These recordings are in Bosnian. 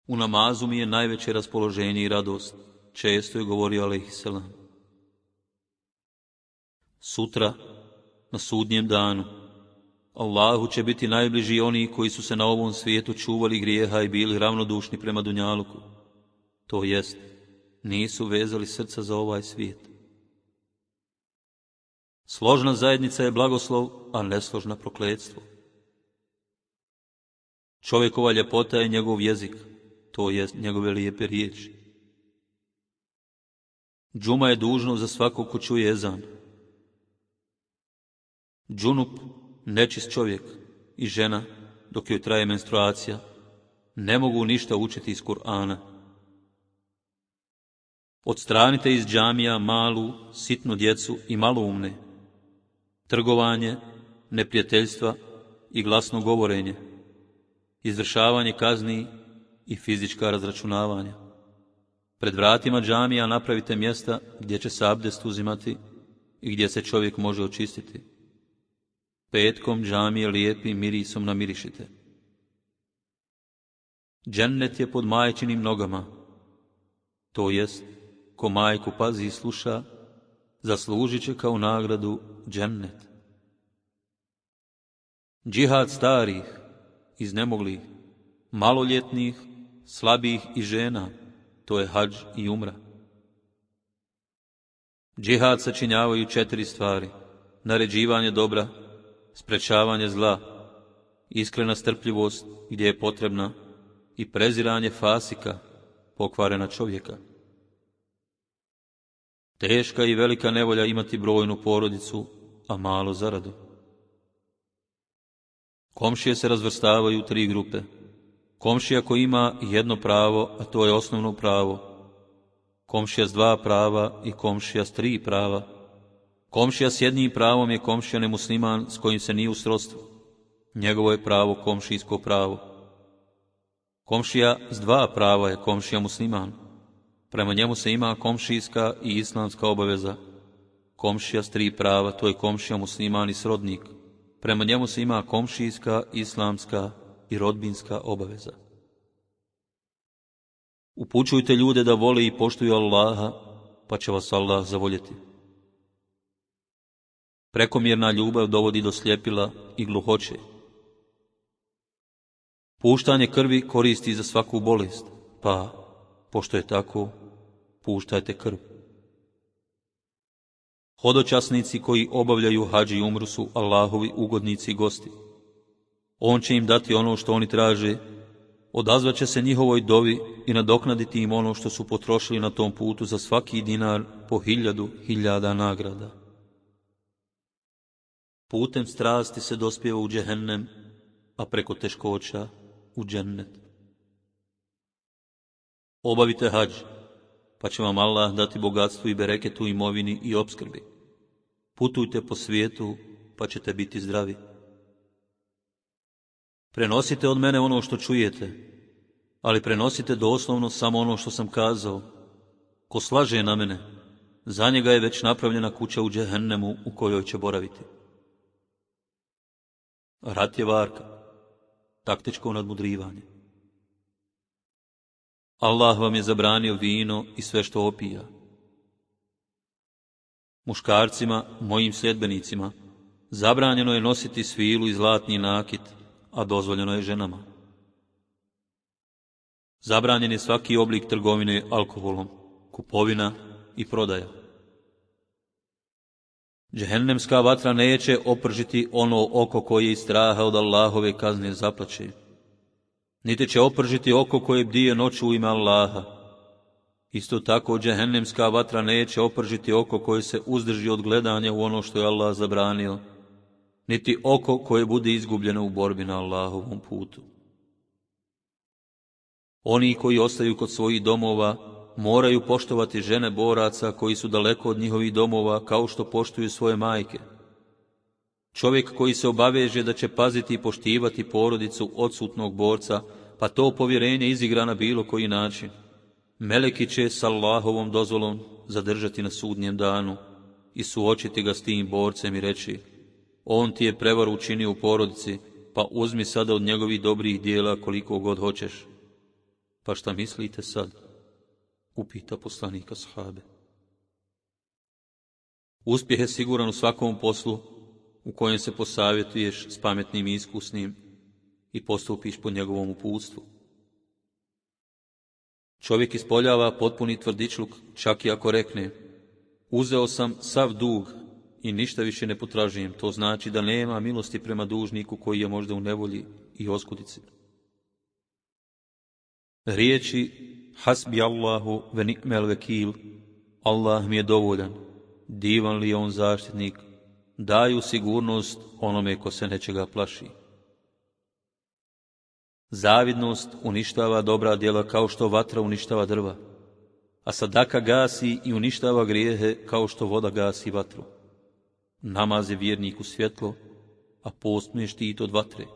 U namazu mi je najveće raspoloženje i radost, često je govorio alejhiselam. Sutra, na sudnjem danu, Allahu će biti najbliži oni koji su se na ovom svijetu čuvali grijeha i bili ravnodušni prema dunjaluku. To jest, nisu vezali srca za ovaj svijet. Složna zajednica je blagoslov, a nesložna prokletstvo. Čovjekova ljepota je njegov jezik, to jest njegove lijepe riječi. Džuma je dužno za svakog ko čuje ezan. Džunup, nečist čovjek i žena, dok joj traje menstruacija, ne mogu ništa učiti iz Kur'ana. Odstranite iz džamija malu, sitnu djecu i maloumne, trgovanje, neprijateljstva i glasno govorenje, izvršavanje kazni i fizička razračunavanja. Pred vratima džamija napravite mjesta gdje će se abdest uzimati i gdje se čovjek može očistiti. Petkom džamije lijepim mirisom namirišite. Džennet je pod majčinim nogama, to jest, ko majku pazi i sluša, zaslužit će kao nagradu džennet. Džihad starih, iznemoglih, maloljetnih, slabih i žena, to je hadž i umra. Džihad sačinjavaju 4 stvari: naređivanje dobra, sprečavanje zla, iskrena strpljivost gdje je potrebna i preziranje fasika, pokvarena čovjeka. Teška i velika nevolja imati brojnu porodicu, a malo zaradu. Komšije se razvrstavaju u 3 grupe. Komšija koji ima jedno pravo, a to je osnovno pravo. Komšija s 2 prava i komšija s 3 prava. Komšija s jednim pravom je komšija nemusliman s kojim se nije u srodstvu. Njegovo je pravo komšijsko pravo. Komšija s 2 prava je komšija musliman. Prema njemu se ima komšijska i islamska obaveza. Komšija s 3 prava, to je komšija musliman i srodnik. Prema njemu se ima komšijska, islamska i rodbinska obaveza. Upućujte ljude da vole i poštuju Allaha, pa će vas Allah zavoljeti. Prekomjerna ljubav dovodi do sljepila i gluhoće. Puštanje krvi koristi za svaku bolest, pa, pošto je tako, puštajte krv. Hodočasnici koji obavljaju hadž i umru su Allahovi ugodnici i gosti. On će im dati ono što oni traže, odazvaće se njihovoj dovi i nadoknaditi im ono što su potrošili na tom putu za svaki dinar po 1000 nagrada. Putem strasti se dospijeva u džehennem, a preko teškoća u džennet. Obavite hadž, pa će vam Allah dati bogatstvo i bereket u imovini i opskrbi. Putujte po svijetu, pa ćete biti zdravi. Prenosite od mene ono što čujete, ali prenosite doslovno samo ono što sam kazao. Ko slaže na mene, za njega je već napravljena kuća u džehennemu u kojoj će boraviti. Rat je varka, taktičko nadmudrivanje. Allah vam je zabranio vino i sve što opija. Muškarcima, mojim sljedbenicima, zabranjeno je nositi svilu i zlatni nakit, a dozvoljeno je ženama. Zabranjen je svaki oblik trgovine alkoholom, kupovina i prodaja. Džehennemska vatra neće opržiti ono oko koje iz straha od Allahove kazne zaplače. Niti će opržiti oko koje bdije noću u ime Allaha. Isto tako džehennemska vatra neće opržiti oko koje se uzdrži od gledanja u ono što je Allah zabranio, niti oko koje bude izgubljeno u borbi na Allahovom putu. Oni koji ostaju kod svojih domova moraju poštovati žene boraca koji su daleko od njihovih domova kao što poštuju svoje majke. Čovjek koji se obaveže da će paziti i poštivati porodicu odsutnog borca, pa to povjerenje izigra na bilo koji način, meleki će s Allahovom dozvolom zadržati na sudnjem danu i suočiti ga s tim borcem i reći: on ti je prevaru učinio u porodici, pa uzmi sada od njegovih dobrih dijela koliko god hoćeš. Pa šta mislite sad? Upita poslanika ashabe. Uspjeh je siguran u svakom poslu u kojem se posavjetuješ s pametnim i iskusnim i postupiš po njegovom uputstvu. Čovjek ispoljava potpuni tvrdičluk, čak i ako rekne: uzeo sam sav dug i ništa više ne potražujem. To znači da nema milosti prema dužniku koji je možda u nevolji i oskudici. Riječi hasbi Allahu ve ni'mel vekil, Allah mi je dovoljan, divan li je on zaštitnik, daju sigurnost onome ko se nečega plaši. Zavidnost uništava dobra djela kao što vatra uništava drva, a sadaka gasi i uništava grijehe kao što voda gasi vatru. Namaz je vjerniku svjetlo, a post mu je štit od vatre.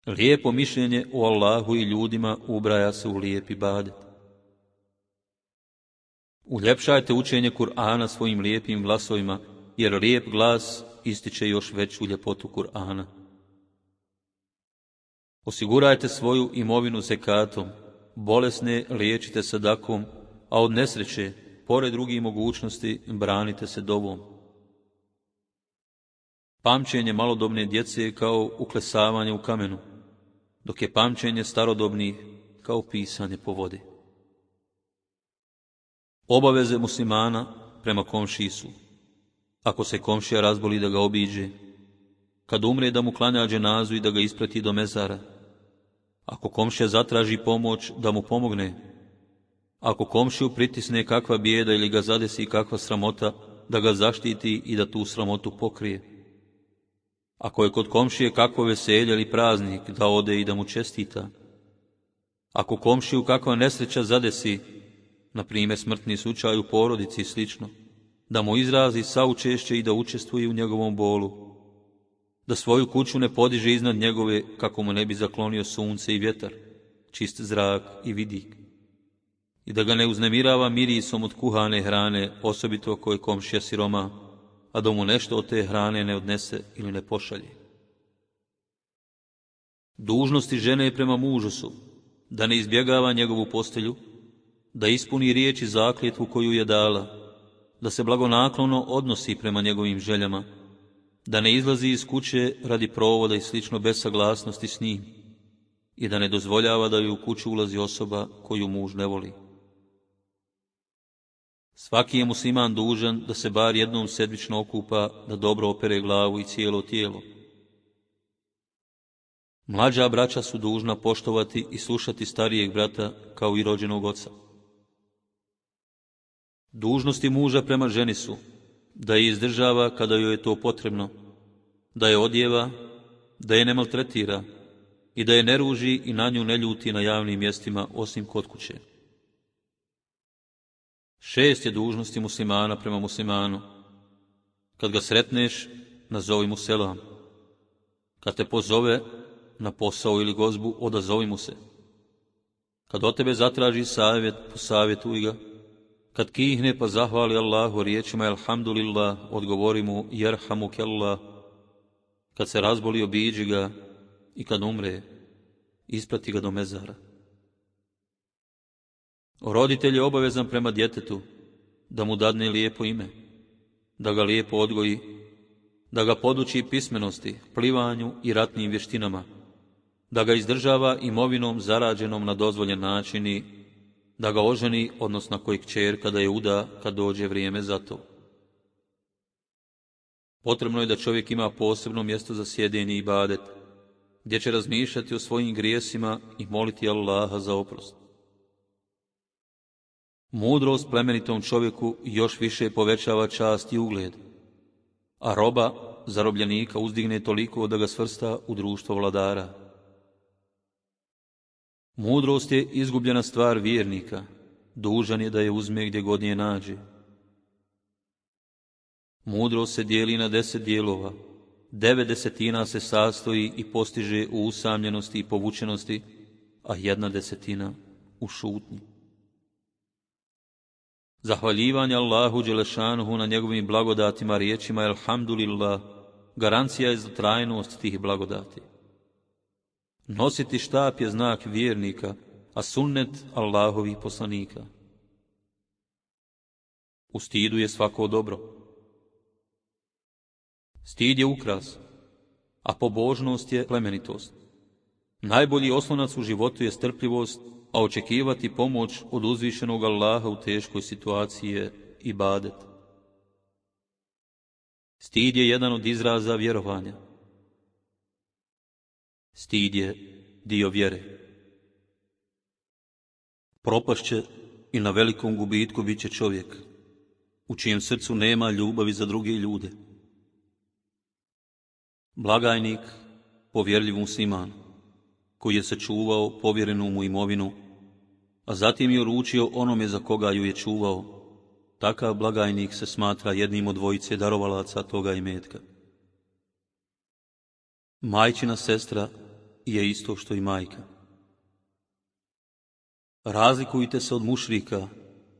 Lijepo mišljenje o Allahu i ljudima ubraja se u lijep ibadet. Uljepšajte učenje Kur'ana svojim lijepim glasovima, jer lijep glas ističe još veću ljepotu Kur'ana. Osigurajte svoju imovinu zekatom, bolesne liječite sadakom, a od nesreće, pored drugih mogućnosti, branite se dovom. Pamćenje malodobne djece je kao uklesavanje u kamenu, dok je pamćenje starodobnih kao pisanje po vodi. Obaveze muslimana prema komšiji su: ako se komšija razboli da ga obiđe, kad umre da mu klanja dženazu i da ga isprati do mezara, ako komšija zatraži pomoć da mu pomogne, ako komšiju pritisne kakva bijeda ili ga zadesi kakva sramota, da ga zaštiti i da tu sramotu pokrije. Ako je kod komšije kakvo veselje ili praznik, da ode i da mu čestita. Ako komšiju kakva nesreća zadesi, na primjer smrtni slučaj u porodici i slično, da mu izrazi saučešće i da učestvuje u njegovom bolu, da svoju kuću ne podiže iznad njegove kako mu ne bi zaklonio sunce i vjetar, čist zrak i vidik, i da ga ne uznemirava mirisom od kuhane hrane, osobito ako je komšija siroma, a da mu nešto od te hrane ne odnese ili ne pošalje. Dužnosti žene prema mužu su da ne izbjegava njegovu postelju, da ispuni riječ i zakletvu koju je dala, da se blagonaklono odnosi prema njegovim željama, da ne izlazi iz kuće radi provoda i slično bez saglasnosti s njim i da ne dozvoljava da joj u kuću ulazi osoba koju muž ne voli. Svaki je musliman dužan da se bar jednom sedmično okupa, da dobro opere glavu i cijelo tijelo. Mlađa braća su dužna poštovati i slušati starijeg brata kao i rođenog oca. Dužnosti muža prema ženi su da je izdržava kada joj je to potrebno, da je odjeva, da je ne maltretira i da je ne ruži i na nju ne ljuti na javnim mjestima osim kod kuće. 6 je dužnosti muslimana prema muslimanu. Kad ga sretneš, nazovi mu selam. Kad te pozove na posao ili gozbu, odazovi mu se. Kad od tebe zatraži savjet, posavjetuj ga. Kad kihne pa zahvali Allahu riječima elhamdulillah, odgovori mu jerhamukallah. Kad se razboli, obiđi ga, i kad umre, isprati ga do mezara. Roditelj je obavezan prema djetetu da mu dadne lijepo ime, da ga lijepo odgoji, da ga poduči pismenosti, plivanju i ratnim vještinama, da ga izdržava imovinom zarađenom na dozvoljen način i da ga oženi, odnosno koji kćer kada je uda, kad dođe vrijeme za to. Potrebno je da čovjek ima posebno mjesto za sjedenje i ibadet, gdje će razmišljati o svojim grijesima i moliti Allaha za oprost. Mudrost plemenitom čovjeku još više povećava čast i ugled, a roba zarobljenika uzdigne toliko da ga svrsta u društvo vladara. Mudrost je izgubljena stvar vjernika, dužan je da je uzme gdje god je nađe. Mudrost se dijeli na 10 dijelova, 9/10 se sastoji i postiže u usamljenosti i povučenosti, a 1/10 u šutnji. Zahvaljivanje Allahu dželešanuhu na njegovim blagodatima riječima elhamdulillah garancija je za trajnost tih blagodati. Nositi štap je znak vjernika, a sunnet Allahovih poslanika. U stidu je svako dobro. Stid je ukras, a pobožnost je plemenitost. Najbolji oslonac u životu je strpljivost, a očekivati pomoć od uzvišenog Allaha u teškoj situaciji je ibadet. Stid je jedan od izraza vjerovanja. Stid je dio vjere. Propašće i na velikom gubitku bit će čovjek, u čijem srcu nema ljubavi za druge ljude. Blagajnik, povjerljiv musliman, koji je sačuvao povjerenu mu imovinu, a zatim je uručio onome za koga ju je čuvao, takav blagajnik se smatra jednim od dvojice darovalaca toga imetka. Majčina sestra je isto što i majka. Razlikujte se od mušrika,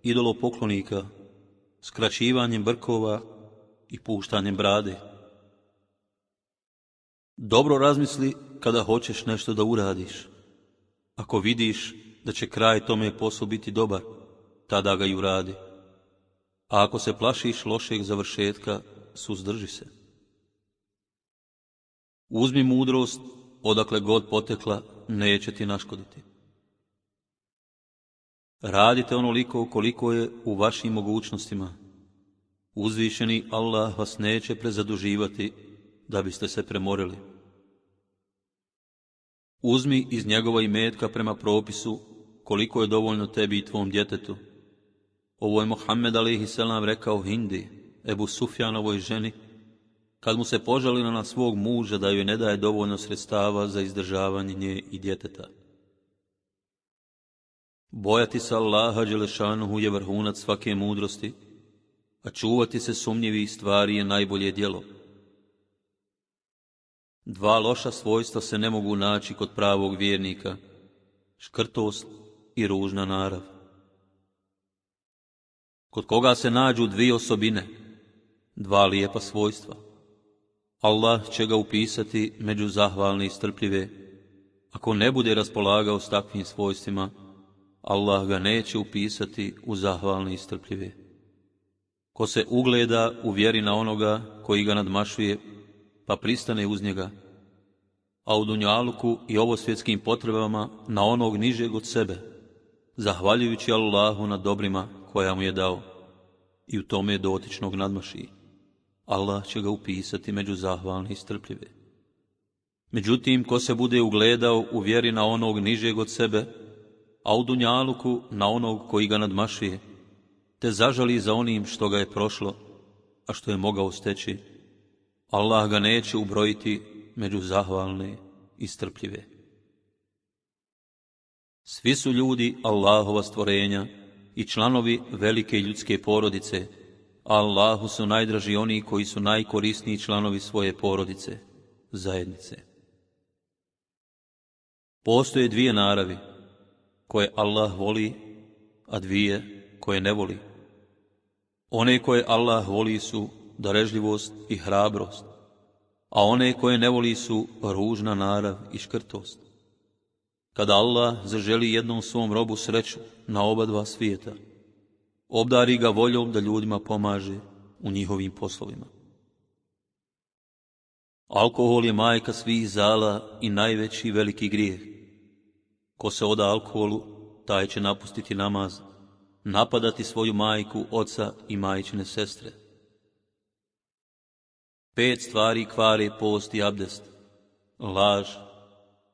idolopoklonika, skraćivanjem brkova i puštanjem brade. Dobro razmisli kada hoćeš nešto da uradiš. Ako vidiš da će kraj tome poslu biti dobar, tada ga i uradi. A ako se plašiš lošeg završetka, suzdrži se. Uzmi mudrost, odakle god potekla, neće ti naškoditi. Radite onoliko koliko je u vašim mogućnostima. Uzvišeni Allah vas neće prezaduživati da biste se premorili. Uzmi iz njegova imetka prema propisu koliko je dovoljno tebi i tvom djetetu. Ovo je Muhammed a.s. rekao Hindi, Ebu Sufjanovoj ženi, kad mu se požalila na svog muža da joj ne daje dovoljno sredstava za izdržavanje nje i djeteta. Bojati se Allaha dželešanuhu je vrhunac svake mudrosti, a čuvati se sumnjivih stvari je najbolje djelo. Dva loša svojstva se ne mogu naći kod pravog vjernika, škrtost i ružna narav. Kod koga se nađu dvije osobine, dva lijepa svojstva, Allah će ga upisati među zahvalne i strpljive. Ako ne bude raspolagao s takvim svojstvima, Allah ga neće upisati u zahvalne i strpljive. Ko se ugleda u vjeri na onoga koji ga nadmašuje, pa pristane uz njega, a u dunjaluku i ovosvjetskim potrebama na onog nižeg od sebe, zahvaljujući Allahu na dobrima koja mu je dao, i u tome dotičnog nadmaši, Allah će ga upisati među zahvalne i strpljive. Međutim, ko se bude ugledao u vjeri na onog nižeg od sebe, a u dunjaluku na onog koji ga nadmašuje, te zažali za onim što ga je prošlo, a što je mogao steći, Allah ga neće ubrojiti među zahvalne i strpljive. Svi su ljudi Allahova stvorenja i članovi velike ljudske porodice, a Allahu su najdraži oni koji su najkorisniji članovi svoje porodice, zajednice. Postoje dvije naravi, koje Allah voli, a dvije koje ne voli. One koje Allah voli su darežljivost i hrabrost, a one koje ne voli su ružna narav i škrtost. Kada Allah zaželi jednom svom robu sreću na oba dva svijeta, obdari ga voljom da ljudima pomaže u njihovim poslovima. Alkohol je majka svih zala i najveći veliki grijeh. Ko se oda alkoholu, taj će napustiti namaz, napadati svoju majku, oca i majčine sestre. 5 stvari kvare post i abdest: laž,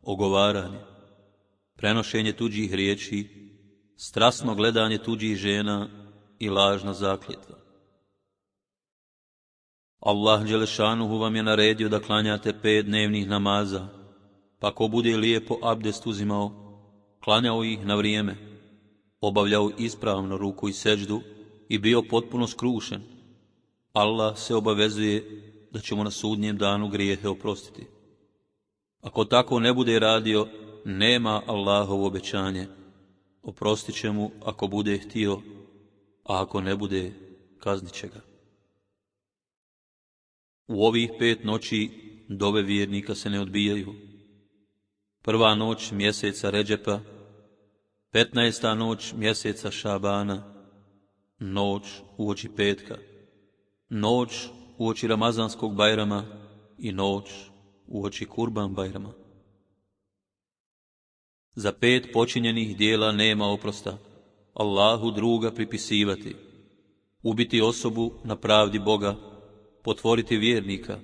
ogovaranje, prenošenje tuđih riječi, strasno gledanje tuđih žena i lažna zakljetva. Allah dželešanuhu vam je naredio da klanjate 5 dnevnih namaza, pa ko bude lijepo abdest uzimao, klanjao ih na vrijeme, obavljao ispravno ruku i seđdu i bio potpuno skrušen, Allah se obavezuje da će mu na sudnjem danu grijehe oprostiti. Ako tako ne bude radio, nema Allahovo obećanje, oprostit će mu ako bude htio, a ako ne bude, kaznit će ga. U ovih 5 noći dove vjernika se ne odbijaju. prva noć mjeseca Redžepa, 15. noć mjeseca Šabana, noć uoči petka, noć uoči Ramazanskog Bajrama i noć uoči Kurban Bajrama. Za 5 počinjenih dijela nema oprosta, Allahu druga pripisivati, ubiti osobu na pravdi Boga, potvoriti vjernika,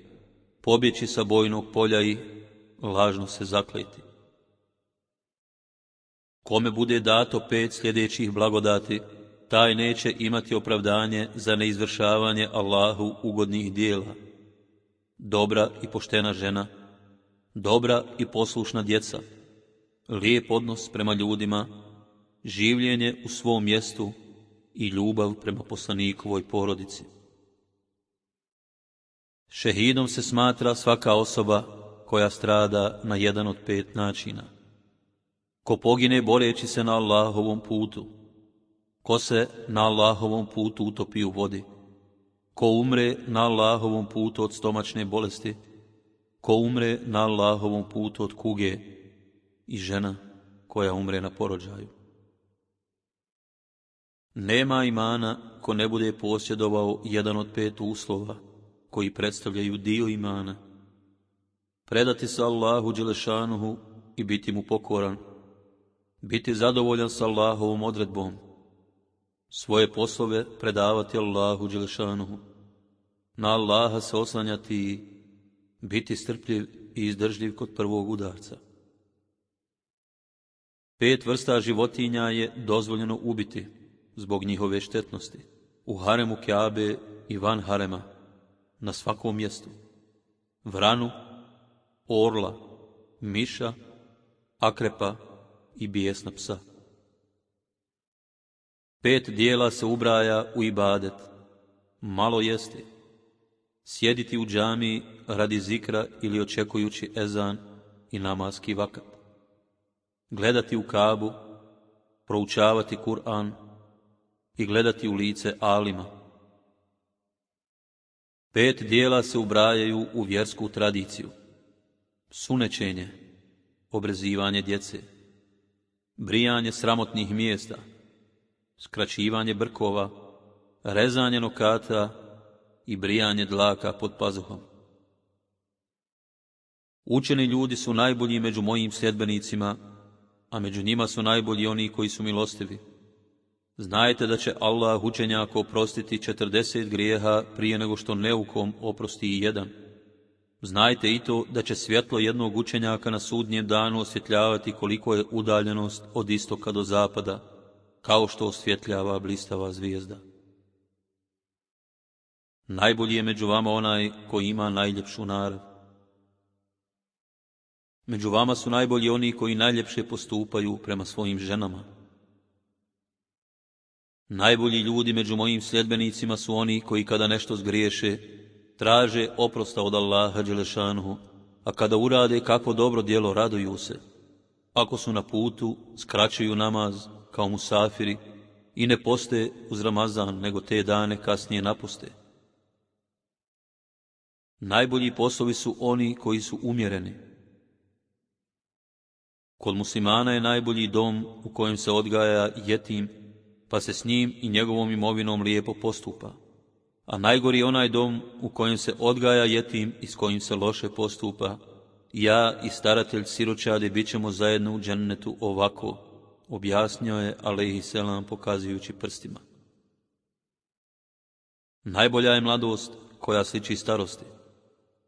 pobjeći sa bojnog polja i lažno se zakleti. Kome bude dato 5 sljedećih blagodati, taj neće imati opravdanje za neizvršavanje Allahu ugodnih dijela. Dobra i poštena žena, dobra i poslušna djeca, lijep odnos prema ljudima, življenje u svom mjestu i ljubav prema poslanikovoj porodici. Šehidom se smatra svaka osoba koja strada na jedan od 5 načina. Ko pogine boreći se na Allahovom putu, ko se na Allahovom putu utopi u vodi, ko umre na Allahovom putu od stomačne bolesti, ko umre na Allahovom putu od kuge i žena koja umre na porođaju. Nema imana ko ne bude posjedovao jedan od 5 uslova koji predstavljaju dio imana. Predati se Allahu Đelešanuhu i biti mu pokoran, biti zadovoljan s Allahovom odredbom, svoje poslove predavati Allahu Đelešanuhu, na Allaha se oslanjati i biti strpljiv i izdržljiv kod prvog udarca. 5 vrsta životinja je dozvoljeno ubiti zbog njihove štetnosti, u haremu Kjabe i van harema, na svakom mjestu: vranu, orla, miša, akrepa i bijesna psa. 5 dijela se ubraja u ibadet: malo jesti, sjediti u džamiji radi zikra ili očekujući ezan i namaski vakat, gledati u Kabu, proučavati Kur'an i gledati u lice alima. 5 dijela se ubrajaju u vjersku tradiciju: sunećenje, obrezivanje djece, brijanje sramotnih mjesta, skraćivanje brkova, rezanje nokata i brijanje dlaka pod pazuhom. Učeni ljudi su najbolji među mojim sljedbenicima, a među njima su najbolji oni koji su milostivi. Znajte da će Allah učenjaku oprostiti 40 grijeha prije nego što neukom oprosti i 1. Znajte i to da će svjetlo jednog učenjaka na sudnjem danu osvjetljavati koliko je udaljenost od istoka do zapada, kao što osvjetljava blistava zvijezda. Najbolji je među vama onaj koji ima najljepšu narav. Među vama su najbolji oni koji najljepše postupaju prema svojim ženama. Najbolji ljudi među mojim sljedbenicima su oni koji kada nešto zgriješe, traže oprosta od Allaha Đelešanuhu, a kada urade kakvo dobro djelo, raduju se. Ako su na putu, skraćuju namaz kao musafiri i ne poste uz Ramazan, nego te dane kasnije napuste. Najbolji poslovi su oni koji su umjereni. Kod muslimana je najbolji dom u kojem se odgaja jetim, pa se s njim i njegovom imovinom lijepo postupa. A najgori je onaj dom u kojem se odgaja jetim i s kojim se loše postupa. Ja i staratelj siročadi bit ćemo zajedno u džennetu ovako, objasnio je alejhiselam pokazujući prstima. Najbolja je mladost koja sliči starosti,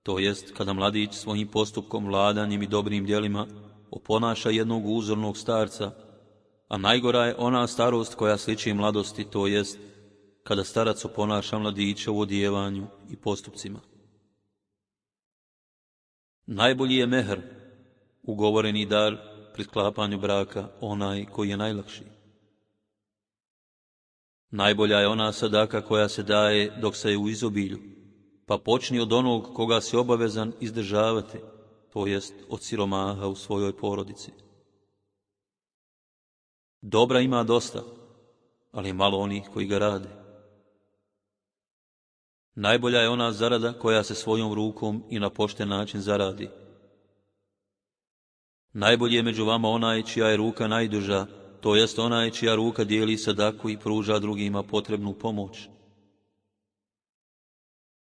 to jest kada mladić svojim postupkom, vladanjem i dobrim djelima oponaša jednog uzornog starca, a najgora je ona starost koja sliči mladosti, to jest kada starac oponaša mladića u odjevanju i postupcima. Najbolji je mehr, ugovoreni dar pri sklapanju braka, onaj koji je najlakši. Najbolja je ona sadaka koja se daje dok se je u izobilju, pa počni od onog koga si obavezan izdržavati, to jest od siromaha u svojoj porodici. Dobra ima dosta, ali malo onih koji ga rade. Najbolja je ona zarada koja se svojom rukom i na pošten način zaradi. Najbolji je među vama onaj čija je ruka najduža, to jest onaj čija ruka dijeli sadaku i pruža drugima potrebnu pomoć.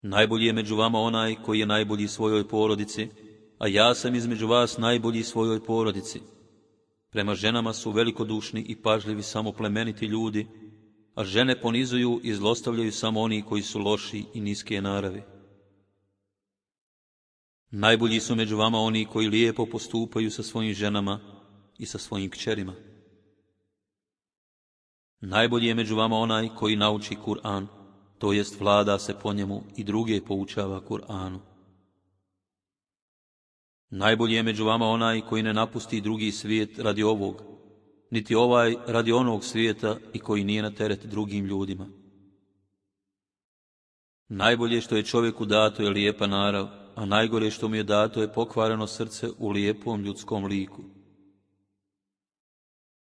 Najbolji je među vama onaj koji je najbolji svojoj porodici, a ja sam između vas najbolji svojoj porodici. Prema ženama su velikodušni i pažljivi samo plemeniti ljudi, a žene ponizuju i zlostavljaju samo oni koji su loši i niske naravi. Najbolji su među vama oni koji lijepo postupaju sa svojim ženama i sa svojim kćerima. Najbolji je među vama onaj koji nauči Kur'an, to jest vlada se po njemu i druge poučava Kur'anu. Najbolji je među vama onaj koji ne napusti drugi svijet radi ovog, niti ovaj radi onog svijeta i koji nije na teret drugim ljudima. Najbolje što je čovjeku dato je lijepa narav, a najgore što mu je dato je pokvareno srce u lijepom ljudskom liku.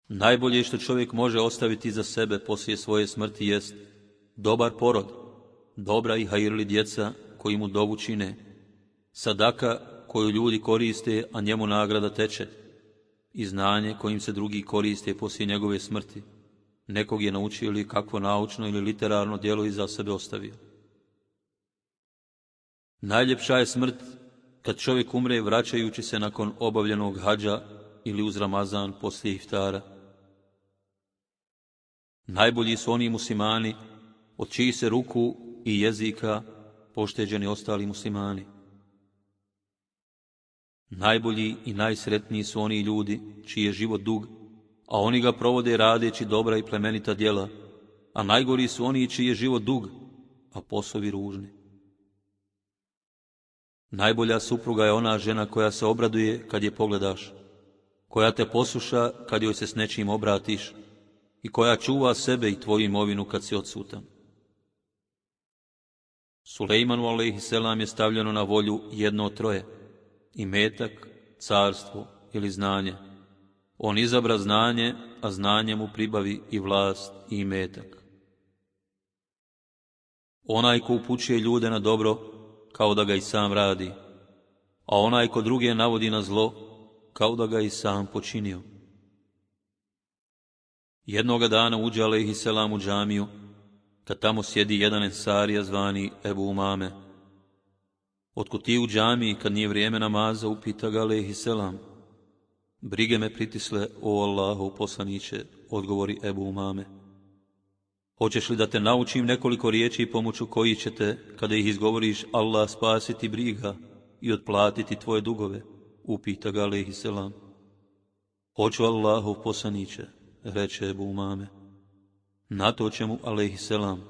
Najbolje što čovjek može ostaviti za sebe poslije svoje smrti jest dobar porod, dobra i hajirli djeca koji mu dovu čine, sadaka koju ljudi koriste, a njemu nagrada teče, i znanje kojim se drugi koriste poslije njegove smrti. Nekog je naučio ili kakvo naučno ili literarno djelo iza sebe ostavio. Najljepša je smrt kad čovjek umre vraćajući se nakon obavljenog hadža ili uz Ramazan poslije iftara. Najbolji su oni muslimani od čijih se ruku i jezika pošteđeni ostali muslimani. Najbolji i najsretniji su oni ljudi čiji je život dug, a oni ga provode radeći dobra i plemenita djela, a najgori su oni čiji je život dug, a poslovi ružni. Najbolja supruga je ona žena koja se obraduje kad je pogledaš, koja te posluša kad joj se s nečim obratiš i koja čuva sebe i tvoju imovinu kad si odsutan. Sulejmanu alejhiselam je stavljeno na volju jedno od troje: imetak, carstvo ili znanje. On izabra znanje, a znanje mu pribavi i vlast i imetak. Onaj ko upućuje ljude na dobro, kao da ga i sam radi, a onaj ko druge navodi na zlo, kao da ga i sam počinio. Jednoga dana uđe alejhiselam u džamiju, kad tamo sjedi jedan ensarija zvani Ebu Umame. Otkud ti u džamiji kad nije vrijeme namaza, upita ga alejhiselam. Brige me pritisle, o Allahov poslaniće, odgovori Ebu Umame. Hoćeš li da te naučim nekoliko riječi pomoću kojih će te, kada ih izgovoriš, Allah spasiti briga i otplatiti tvoje dugove? Upita ga alejhiselam. Hoću, Allahov poslaniće, reče Ebu Umame. Na to će mu alejhiselam: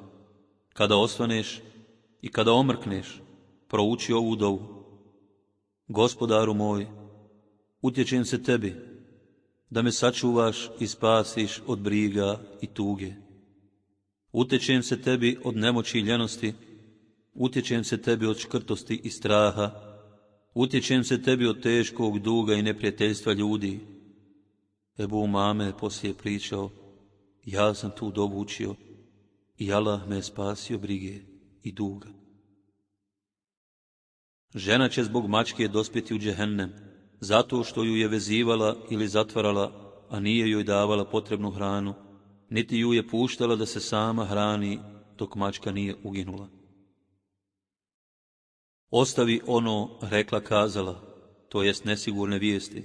kada osvaneš i kada omrkneš, prouči ovu dovu. Gospodaru moj, utječem se tebi, da me sačuvaš i spasiš od briga i tuge. Utječem se tebi od nemoći i ljenosti, utječem se tebi od škrtosti i straha, utječem se tebi od teškog duga i neprijateljstva ljudi. Ebu Umame je poslije pričao: ja sam tu dovu učio i Allah me je spasio brige i duga. Žena će zbog mačke dospjeti u džehennem, zato što ju je vezivala ili zatvarala, a nije joj davala potrebnu hranu, niti ju je puštala da se sama hrani dok mačka nije uginula. Ostavi ono, rekla kazala, to jest nesigurne vijesti,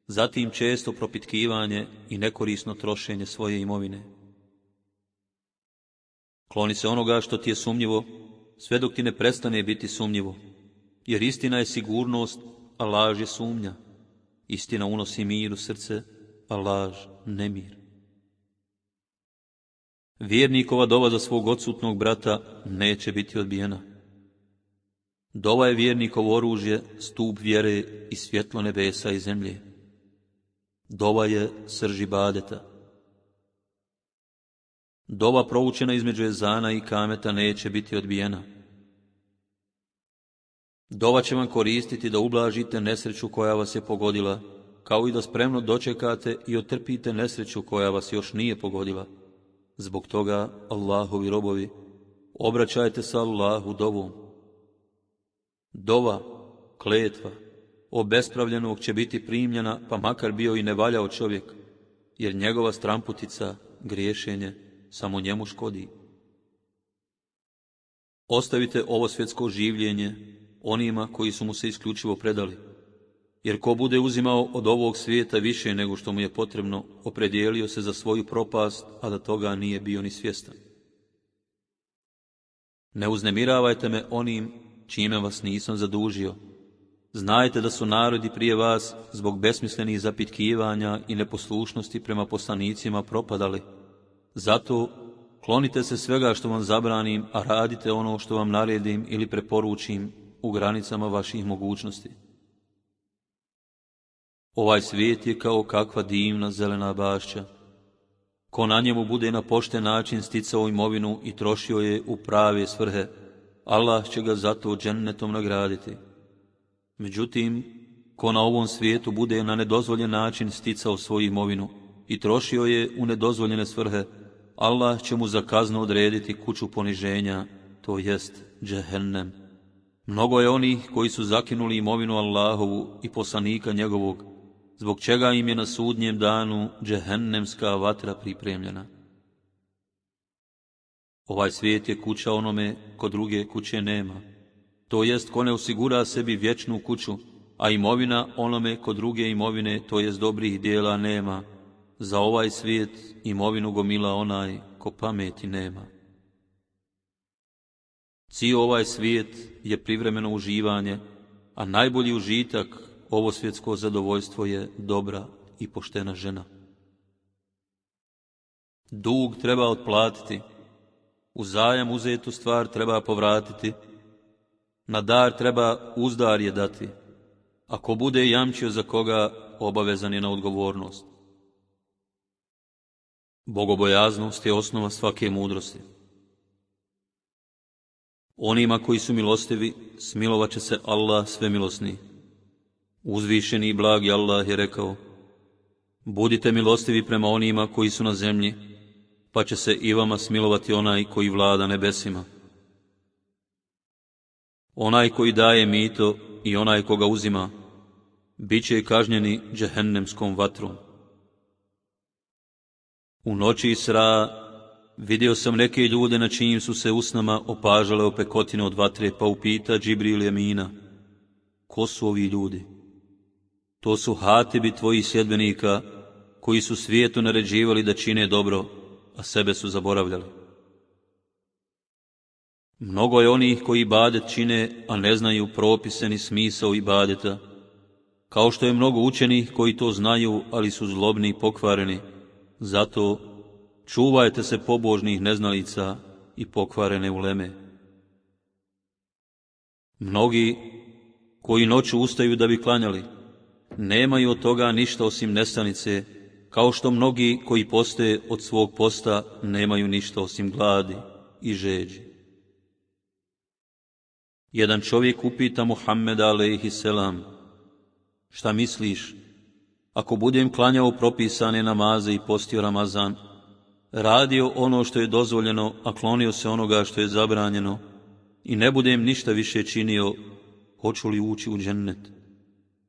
zatim često propitkivanje i nekorisno trošenje svoje imovine. Kloni se onoga što ti je sumnjivo, sve dok ti ne prestane biti sumnjivo, jer istina je sigurnost, a laž je sumnja. Istina unosi mir u srce, a laž nemir. Vjernikova dova za svog odsutnog brata neće biti odbijena. Dova je vjernikovo oružje, stup vjere i svjetlo nebesa i zemlje. Dova je srž ibadeta. Dova proučena između ezana i kameta neće biti odbijena. Dova će vam koristiti da ublažite nesreću koja vas je pogodila, kao i da spremno dočekate i otrpite nesreću koja vas još nije pogodila. Zbog toga, Allahovi robovi, obraćajte se Allahu dovom. Dova, kletva, obespravljenog će biti primljena, pa makar bio i nevaljao čovjek, jer njegova stramputica, griješenje, samo njemu škodi. Ostavite ovo svjetsko življenje onima koji su mu se isključivo predali, jer ko bude uzimao od ovog svijeta više nego što mu je potrebno, opredijelio se za svoju propast, a da toga nije bio ni svjestan. Ne uznemiravajte me onim čime vas nisam zadužio. Znajte da su narodi prije vas zbog besmislenih zapitkivanja i neposlušnosti prema poslanicima propadali. Zato klonite se svega što vam zabranim, a radite ono što vam naredim ili preporučim u granicama vaših mogućnosti. Ovaj svijet je kao kakva divna zelena bašća. Ko na njemu bude na pošten način sticao imovinu i trošio je u prave svrhe, Allah će ga zato džennetom nagraditi. Međutim, ko na ovom svijetu bude na nedozvoljen način sticao svoju imovinu i trošio je u nedozvoljene svrhe, Allah će mu za kaznu odrediti kuću poniženja, to jest džehennem. Mnogo je onih koji su zakinuli imovinu Allahovu i poslanika njegovog, zbog čega im je na sudnjem danu džehennemska vatra pripremljena. Ovaj svijet je kuća onome ko druge kuće nema, to jest ko ne osigura sebi vječnu kuću, a imovina onome ko druge imovine, to jest dobrih dijela, nema. Za ovaj svijet imovinu gomila onaj ko pameti nema. Cijel ovaj svijet je privremeno uživanje, a najbolji užitak, ovo svjetsko zadovoljstvo, je dobra i poštena žena. Dug treba otplatiti, u zajam uzetu stvar treba povratiti, na dar treba uzdarje dati, ako bude jamčio za koga, obavezan je na odgovornost. Bogobojaznost je osnova svake mudrosti. Onima koji su milostivi, smilovat će se Allah svemilosni. Uzvišeni i blagi Allah je rekao: budite milostivi prema onima koji su na zemlji, pa će se i vama smilovati onaj koji vlada nebesima. Onaj koji daje mito i onaj koga uzima, bit će kažnjeni džehennemskom vatrom. U noći Isra vidio sam neke ljude na čijim su se usnama opažale opekotine od vatre, pa upita Džibril Emina: ko su ovi ljudi? To su hatibi tvojih sljedbenika, koji su svijetu naređivali da čine dobro, a sebe su zaboravljali. Mnogo je onih koji ibadet čine, a ne znaju propise ni smisao ibadeta, kao što je mnogo učenih koji to znaju, ali su zlobni i pokvareni. Zato čuvajte se pobožnih neznalica i pokvarene uleme. Mnogi koji noću ustaju da bi klanjali, nemaju od toga ništa osim nestanice, kao što mnogi koji poste od svog posta nemaju ništa osim gladi i žeđi. Jedan čovjek upita Muhammeda alejhiselam: šta misliš, ako budem klanjao propisane namaze i postio Ramazan, radio ono što je dozvoljeno, a klonio se onoga što je zabranjeno, i ne budem ništa više činio, hoću li ući u džennet?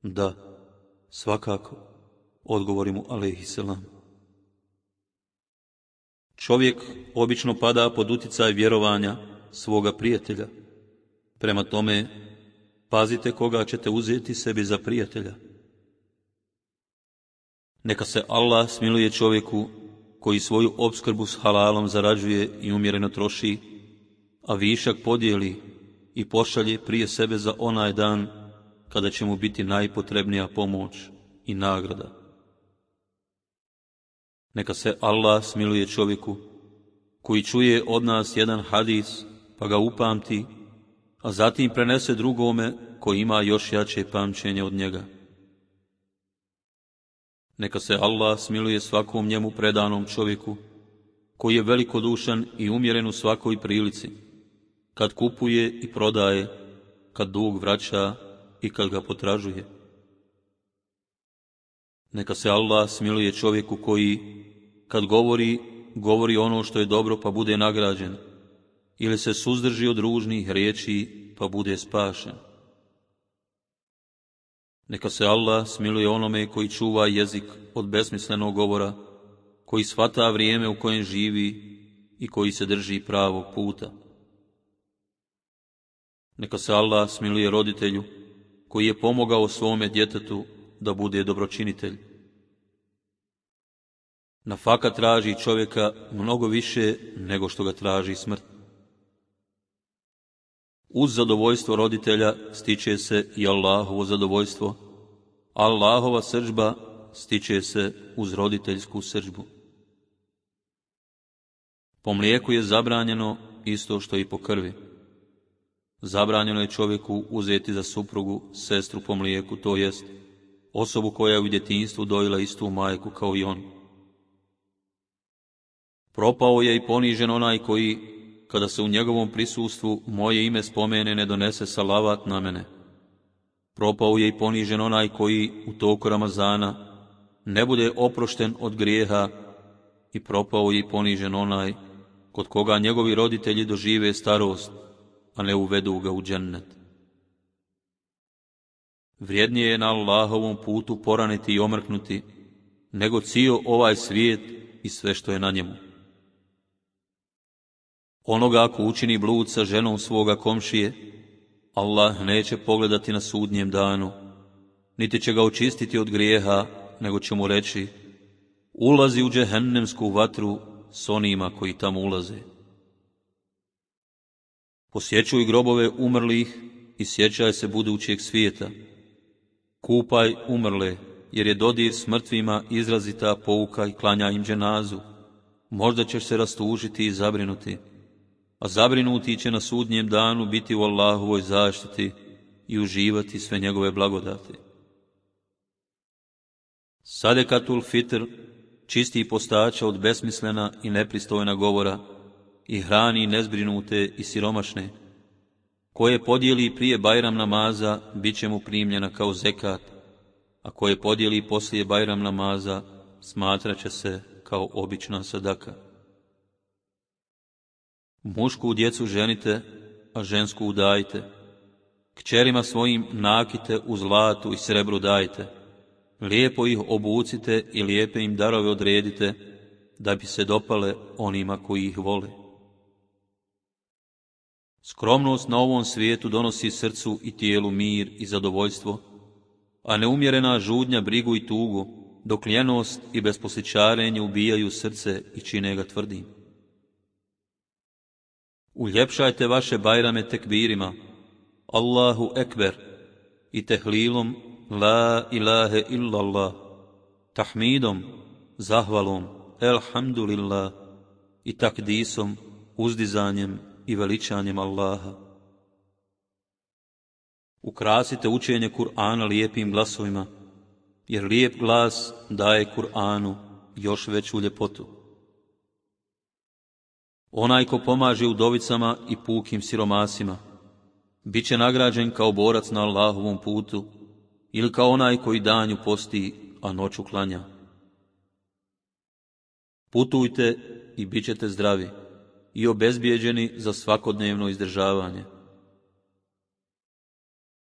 Da, svakako, odgovori mu alejhiselam. Čovjek obično pada pod uticaj vjerovanja svoga prijatelja. Prema tome, pazite koga ćete uzeti sebi za prijatelja. Neka se Allah smiluje čovjeku koji svoju opskrbu s halalom zarađuje i umjereno troši, a višak podijeli i pošalje prije sebe za onaj dan kada će mu biti najpotrebnija pomoć i nagrada. Neka se Allah smiluje čovjeku koji čuje od nas jedan hadis, pa ga upamti, a zatim prenese drugome koji ima još jače pamćenje od njega. Neka se Allah smiluje svakom njemu predanom čovjeku koji je velikodušan i umjeren u svakoj prilici, kad kupuje i prodaje, kad dug vraća i kad ga potražuje. Neka se Allah smiluje čovjeku koji, kad govori ono što je dobro pa bude nagrađen, ili se suzdrži od ružnih riječi pa bude spašen. Neka se Allah smiluje onome koji čuva jezik od besmislenog govora, koji shvata vrijeme u kojem živi i koji se drži pravog puta. Neka se Allah smiluje roditelju koji je pomogao svome djetetu da bude dobročinitelj. Nafaka traži čovjeka mnogo više nego što ga traži smrt. Uz zadovoljstvo roditelja stiče se i Allahovo zadovoljstvo, a Allahova srdžba stiče se uz roditeljsku srdžbu. Po mlijeku je zabranjeno isto što i po krvi. Zabranjeno je čovjeku uzeti za suprugu sestru po mlijeku, to jest osobu koja je u djetinjstvu dojila istu majku kao i on. Propao je i ponižen onaj koji, kada se u njegovom prisustvu moje ime spomene, ne donese salavat na mene. Propao je i ponižen onaj koji u toku Ramazana ne bude oprošten od grijeha, i propao je i ponižen onaj kod koga njegovi roditelji dožive starost, a ne uvedu ga u džennet. Vrijednije je na Allahovom putu poraniti i omrknuti, nego cijel ovaj svijet i sve što je na njemu. Onoga ako učini blud sa ženom svoga komšije, Allah neće pogledati na sudnjem danu, niti će ga očistiti od grijeha, nego će mu reći: ulazi u džehennemsku vatru s onima koji tamo ulaze. Posjećuj grobove umrlih i sjećaj se budućeg svijeta. Kupaj umrle, jer je dodir s mrtvima izrazita pouka, i klanja im dženazu. Možda ćeš se rastužiti i zabrinuti, a zabrinuti će na sudnjem danu biti u Allahovoj zaštiti i uživati sve njegove blagodati. Sadekatul fitr čisti postača od besmislena i nepristojna govora i hrani nezbrinute i siromašne. Koje podijeli prije Bajram namaza, bit će mu primljena kao zekat, a koje podijeli poslije Bajram namaza, smatraće se kao obična sadaka. Mušku djecu ženite, a žensku udajte. Kćerima svojim nakite u zlatu i srebru dajte. Lijepo ih obucite i lijepe im darove odredite, da bi se dopale onima koji ih vole. Skromnost na ovom svijetu donosi srcu i tijelu mir i zadovoljstvo, a neumjerena žudnja brigu i tugu, dok ljenost i besposličarenje ubijaju srce i čine ga tvrdim. Uljepšajte vaše bajrame tekbirima, Allahu ekber, i tehlilom, la ilahe illallah, tahmidom, zahvalom, elhamdulillah, i takdisom, uzdizanjem i veličanjem Allaha. Ukrasite učenje Kur'ana lijepim glasovima, jer lijep glas daje Kur'anu još veću ljepotu. Onaj ko pomaže udovicama i pukim siromasima, bit će nagrađen kao borac na Allahovom putu, ili kao onaj koji danju posti, a noću klanja. Putujte i bit ćete zdravi i obezbijeđeni za svakodnevno izdržavanje.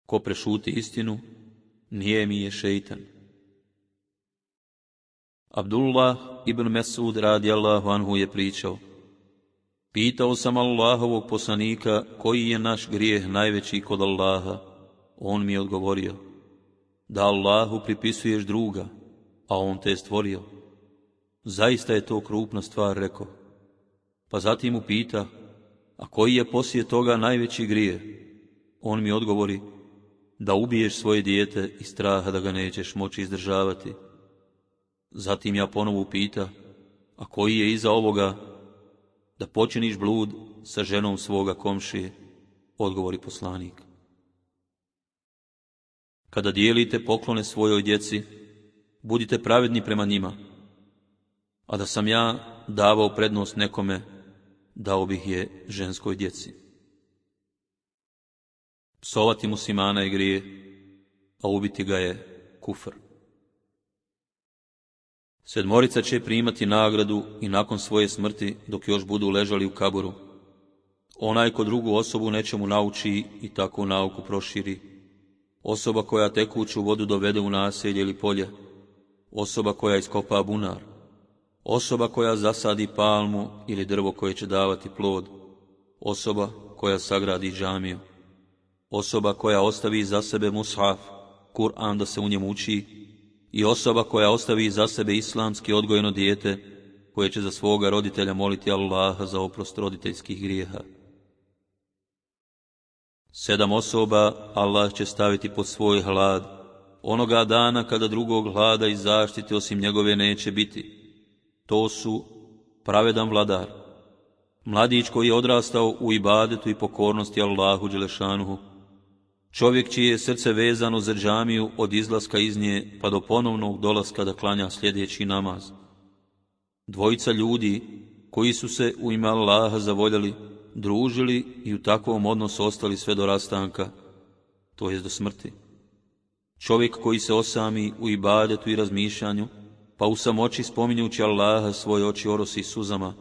Ko prešuti istinu, nijemi je šeitan. Abdullah ibn Mesud radijallahu anhu je pričao: pitao sam Allahovog poslanika koji je naš grijeh najveći kod Allaha. On mi je odgovorio: da Allahu pripisuješ druga, a on te je stvorio. Zaista je to krupna stvar, rekao. Pa zatim mu pita: a koji je poslije toga najveći grijeh? On mi odgovori: da ubiješ svoje dijete iz straha da ga nećeš moći izdržavati. Zatim ja ponovo pita: a koji je iza ovoga? Da počiniš blud sa ženom svoga komšije, odgovori poslanik. Kada dijelite poklone svojoj djeci, budite pravedni prema njima, a da sam ja davao prednost nekome, dao bih je ženskoj djeci. Psovati muslimana je grijeh, a ubiti ga je kufr. 7 će primati nagradu i nakon svoje smrti, dok još budu ležali u kaboru. Onaj ko drugu osobu nečemu nauči i tako nauku proširi, osoba koja tekuću vodu dovede u naselje ili polje, osoba koja iskopa bunar, osoba koja zasadi palmu ili drvo koje će davati plod, osoba koja sagradi džamiju, osoba koja ostavi iza sebe mushaf, Kur'an da se u njemu uči, i osoba koja ostavi iza sebe islamski odgojeno dijete koje će za svoga roditelja moliti Allaha za oprost roditeljskih grijeha. 7 osoba Allah će staviti pod svoj hlad, onoga dana kada drugog hlada i zaštite osim njegove neće biti. To su pravedan vladar, mladić koji je odrastao u ibadetu i pokornosti Allahu dželešanuhu, čovjek čije je srce vezano za džamiju od izlaska iz nje pa do ponovnog dolaska da klanja sljedeći namaz. 2 ljudi koji su se u ime Allaha zavoljeli, družili i u takvom odnosu ostali sve do rastanka, to jest do smrti. Čovjek koji se osami u ibadetu i razmišljanju, pa u samoći spominjući Allaha svoje oči orosi suzama.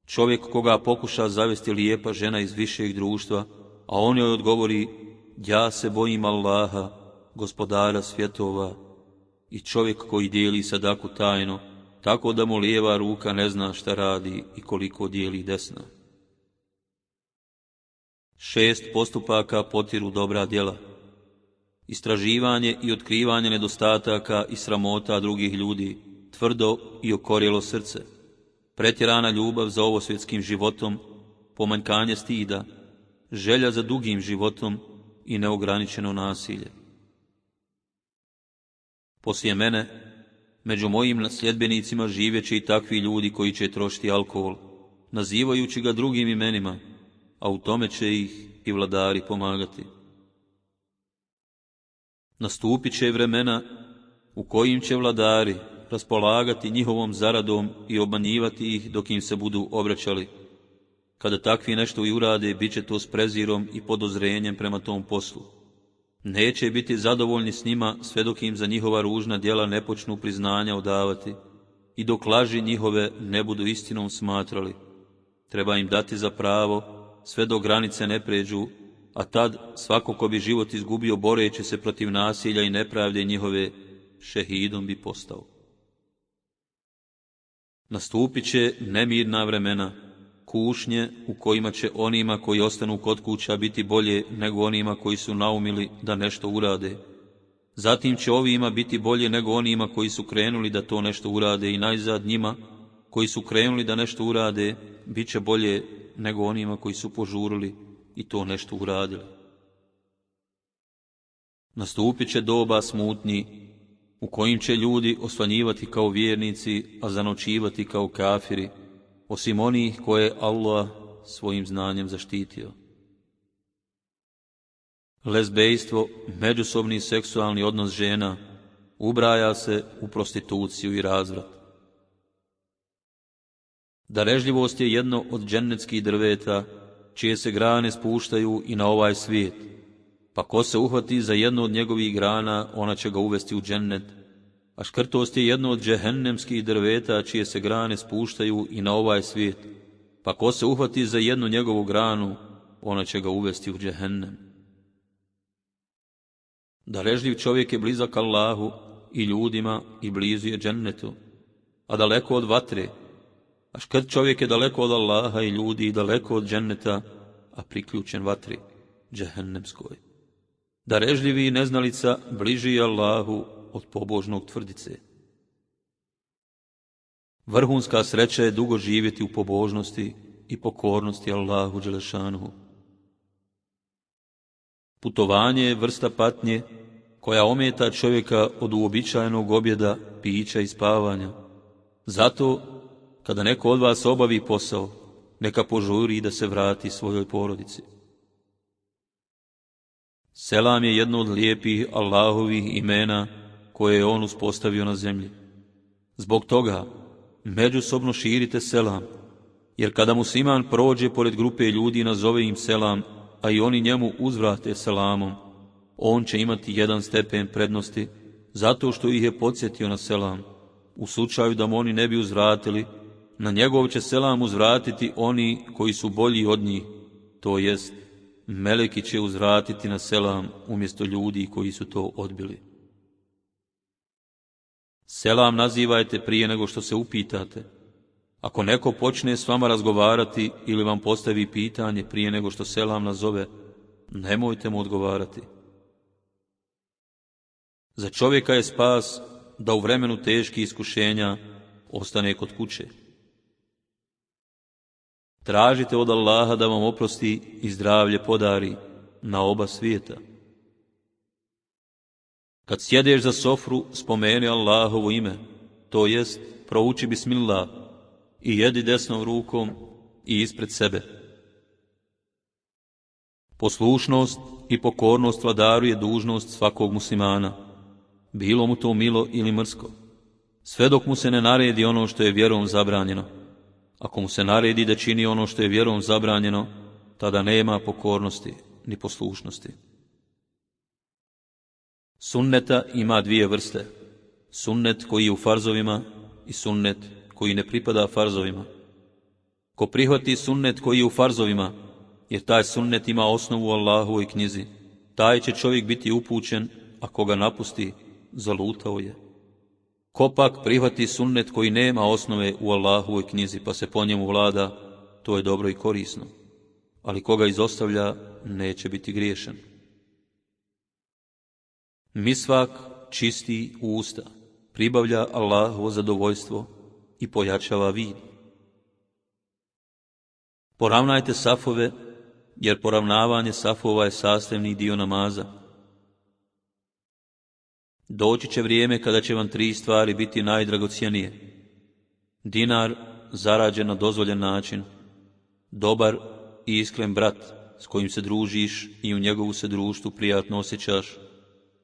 Čovjek koga pokuša zavesti lijepa žena iz višeg društva, a on joj odgovori: ja se bojim Allaha, gospodara svjetova. I čovjek koji dijeli sadaku tajno, tako da mu lijeva ruka ne zna šta radi i koliko dijeli desna. 6 postupaka potiru dobra djela: istraživanje i otkrivanje nedostataka i sramota drugih ljudi, tvrdo i okorjelo srce, pretjerana ljubav za ovosvjetskim životom, pomanjkanje stida, želja za dugim životom i neograničeno nasilje. Poslije mene, među mojim sljedbenicima živjeće i takvi ljudi koji će trošiti alkohol, nazivajući ga drugim imenima, a u tome će ih i vladari pomagati. Nastupit će vremena u kojim će vladari raspolagati njihovom zaradom i obmanjivati ih dok im se budu obraćali. Kada takvi nešto i urade, bit će to s prezirom i podozrenjem prema tom poslu. Neće biti zadovoljni s njima sve dok im za njihova ružna djela ne počnu priznanja odavati i dok laži njihove ne budu istinom smatrali. Treba im dati za pravo sve dok granice ne pređu, a tad svako ko bi život izgubio boreći se protiv nasilja i nepravde njihove, šehidom bi postao. Nastupit će nemirna vremena, kušnje u kojima će onima koji ostanu kod kuća biti bolje nego onima koji su naumili da nešto urade. Zatim će ovima biti bolje nego onima koji su krenuli da to nešto urade i najzad njima koji su krenuli da nešto urade, bit će bolje nego onima koji su požurili i to nešto uradili. Nastupit će doba smutnji u kojim će ljudi osvanjivati kao vjernici, a zanočivati kao kafiri, osim onih koje je Allah svojim znanjem zaštitio. Lezbejstvo, međusobni seksualni odnos žena, ubraja se u prostituciju i razvrat. Darežljivost je jedno od džennetskih drveta, čije se grane spuštaju i na ovaj svijet, pa ko se uhvati za jednu od njegovih grana, ona će ga uvesti u džennet, a škrtost je jedno od džehennemskih drveta, čije se grane spuštaju i na ovaj svijet, pa ko se uhvati za jednu njegovu granu, ona će ga uvesti u džehennem. Darežljiv čovjek je blizak Allahu i ljudima i blizu je džennetu, a daleko od vatre, a škrt čovjek je daleko od Allaha i ljudi i daleko od dženneta, a priključen vatri, džehennemskoj. Darežljivi neznalica bliži je Allahu od pobožnog tvrdice. Vrhunska sreća je dugo živjeti u pobožnosti i pokornosti Allahu dželešanuhu. Putovanje je vrsta patnje koja ometa čovjeka od uobičajenog objeda, pića i spavanja. Zato, kada neko od vas obavi posao, neka požuri da se vrati svojoj porodici. Selam je jedno od lijepih Allahovih imena koje je on uspostavio na zemlji. Zbog toga, međusobno širite selam, jer kada musliman prođe pored grupe ljudi i nazove im selam, a i oni njemu uzvrate selamom, on će imati 1 stepen prednosti, zato što ih je podsjetio na selam. U slučaju da mu oni ne bi uzvratili, na njegov će selam uzvratiti oni koji su bolji od njih, to jest meleki će uzvratiti na selam umjesto ljudi koji su to odbili. Selam nazivajte prije nego što se upitate. Ako neko počne s vama razgovarati ili vam postavi pitanje prije nego što selam nazove, nemojte mu odgovarati. Za čovjeka je spas da u vremenu teških iskušenja ostane kod kuće. Tražite od Allaha da vam oprosti i zdravlje podari na oba svijeta. Kad sjedeš za sofru, spomeni Allahovo ime, to jest prouči bismillah i jedi desnom rukom i ispred sebe. Poslušnost i pokornost vladaru je dužnost svakog muslimana, bilo mu to milo ili mrsko, sve dok mu se ne naredi ono što je vjerom zabranjeno. Ako mu se naredi da čini ono što je vjerom zabranjeno, tada nema pokornosti ni poslušnosti. Sunneta ima dvije vrste, sunnet koji je u farzovima i sunnet koji ne pripada farzovima. Ko prihvati sunnet koji je u farzovima, jer taj sunnet ima osnovu u Allahovoj knjizi, taj će čovjek biti upućen, a koga napusti, zalutao je. Ko pak prihvati sunnet koji nema osnove u Allahovoj knjizi, pa se po njemu vlada, to je dobro i korisno, ali koga izostavlja, neće biti griješan. Misvak čisti usta, pribavlja Allahovo zadovoljstvo i pojačava vid. Poravnajte safove, jer poravnavanje safova je sastavni dio namaza. Doći će vrijeme kada će vam 3 stvari biti najdragocjenije. Dinar zarađen na dozvoljen način, dobar i iskren brat s kojim se družiš i u njegovu se društvu prijatno osjećaš,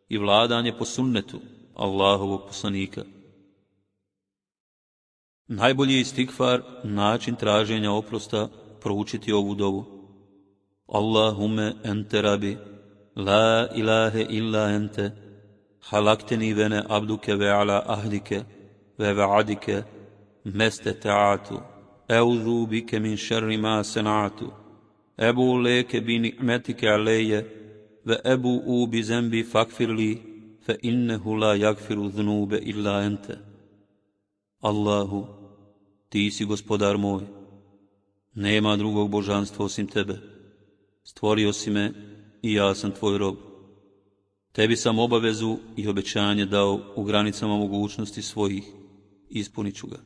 i vladanje po sunnetu Allahovog poslanika. Najbolji je istikfar, način traženja oprosta, proučiti ovu dovu. Allahumme ente rabi, la ilahe illa ente, halakteni vene abduke ve ala ahdike, ve vaadike, meste ta'atu, eudhu bike min šerri ma senatu, ebu leke bi ni'metike aleje, ve ebu u bi zembi fakfirli, fe innehu la jagfiru znube illa ente. Allahu, ti si gospodar moj, nema drugog božanstva osim tebe. Stvorio si me i ja sam tvoj rob. Tebi sam obavezu i obećanje dao u granicama mogućnosti svojih, ispunit ću ga.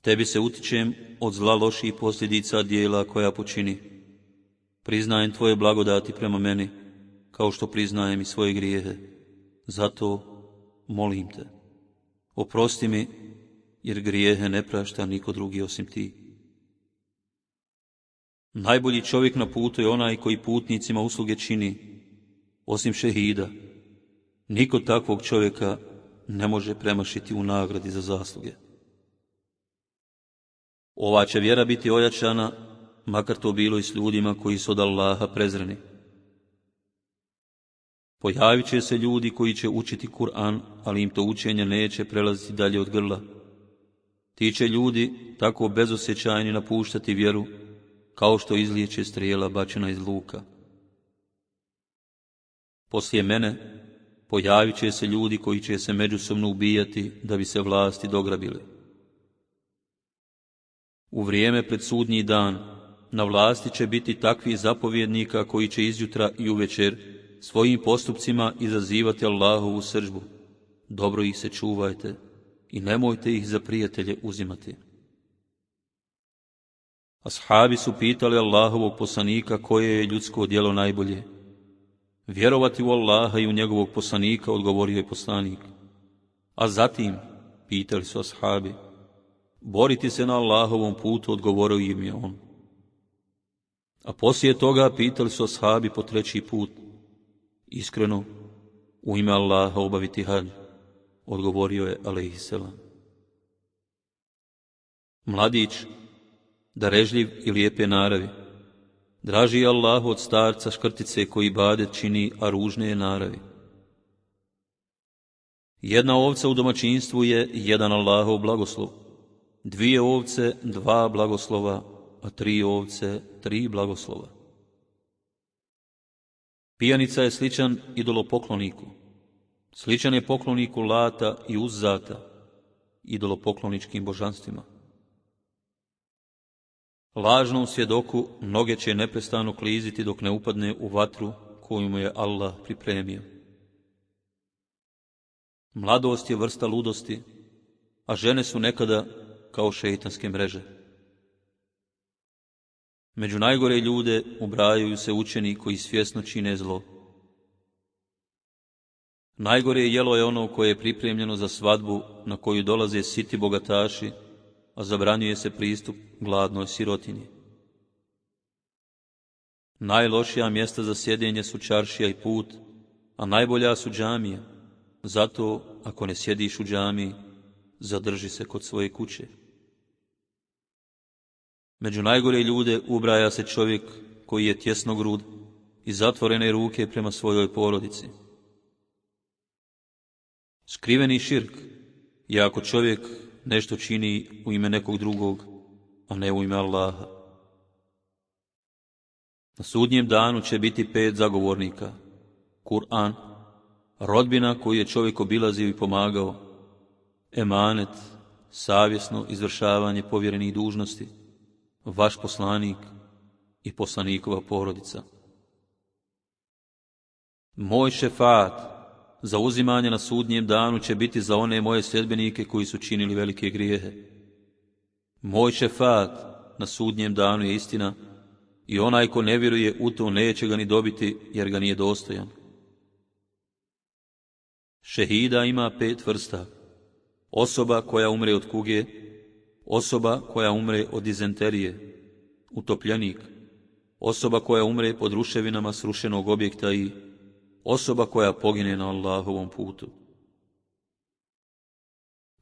Tebi se utičem od zla loših posljedica dijela koja počini. Priznajem tvoje blagodati prema meni, kao što priznajem i svoje grijehe. Zato molim te, oprosti mi, jer grijehe ne prašta niko drugi osim ti. Najbolji čovjek na putu je onaj koji putnicima usluge čini, osim šehida. Niko takvog čovjeka ne može premašiti u nagradi za zasluge. Ova će vjera biti ojačana, makar to bilo i s ljudima koji su od Allaha prezreni. Pojavit će se ljudi koji će učiti Kur'an, ali im to učenje neće prelaziti dalje od grla. Ti će ljudi tako bezosjećajni napuštati vjeru, kao što izlijeće strijela bačena iz luka. Poslije mene pojavit će se ljudi koji će se međusobno ubijati da bi se vlasti dograbili. U vrijeme pred sudnji dan na vlasti će biti takvi zapovjednika koji će izjutra i uvečer svojim postupcima izazivati Allahovu srdžbu. Dobro ih se čuvajte i nemojte ih za prijatelje uzimati. Ashabi su pitali Allahovog poslanika koje je ljudsko djelo najbolje. Vjerovati u Allaha i u njegovog poslanika, odgovorio je poslanik. A zatim, pitali su ashabi, boriti se na Allahovom putu, odgovorio im je on. A poslije toga pitali su ashabi po 3. put, iskreno, u ime Allaha obaviti hadž, odgovorio je alejhiselam. Mladić, darežljiv i lijepe naravi, draži je Allahu od starca škrtice koji ibadet čini, a ružne je naravi. Jedna ovca u domaćinstvu je jedan Allahov blagoslov, 2 ovce 2 blagoslova, a 3 ovce 3 blagoslova. Pijanica je sličan idolopokloniku. Sličan je pokloniku Lata i Uzzata, idolopokloničkim božanstvima. Lažnom svjedoku noge će neprestano kliziti dok ne upadne u vatru koju mu je Allah pripremio. Mladost je vrsta ludosti, a žene su nekada kao šeitanske mreže. Među najgore ljude ubrajaju se učeni koji svjesno čine zlo. Najgore jelo je ono koje je pripremljeno za svadbu na koju dolaze siti bogataši, a zabranjuje se pristup gladnoj sirotinji. Najlošija mjesta za sjedenje su čaršija i put, a najbolja su džamije. Zato, ako ne sjediš u džamiji, zadrži se kod svoje kuće. Među najgore ljude ubraja se čovjek koji je tjesnogrud i zatvorene ruke prema svojoj porodici. Skriveni širk je ako čovjek nešto čini u ime nekog drugog, a ne u ime Allaha. Na sudnjem danu će biti 5 zagovornika: Kur'an, rodbina koju je čovjek obilazio i pomagao, emanet, savjesno izvršavanje povjerenih dužnosti, vaš poslanik i poslanikova porodica. Moj šefaat, zauzimanje na sudnjem danu, će biti za one moje sljedbenike koji su činili velike grijehe. Moj šefaat na sudnjem danu je istina i onaj ko ne vjeruje u to neće ga ni dobiti jer ga nije dostojan. Šehida ima 5 vrsta: osoba koja umre od kuge, osoba koja umre od dizenterije, utopljenik, osoba koja umre pod ruševinama srušenog objekta i osoba koja pogine na Allahovom putu.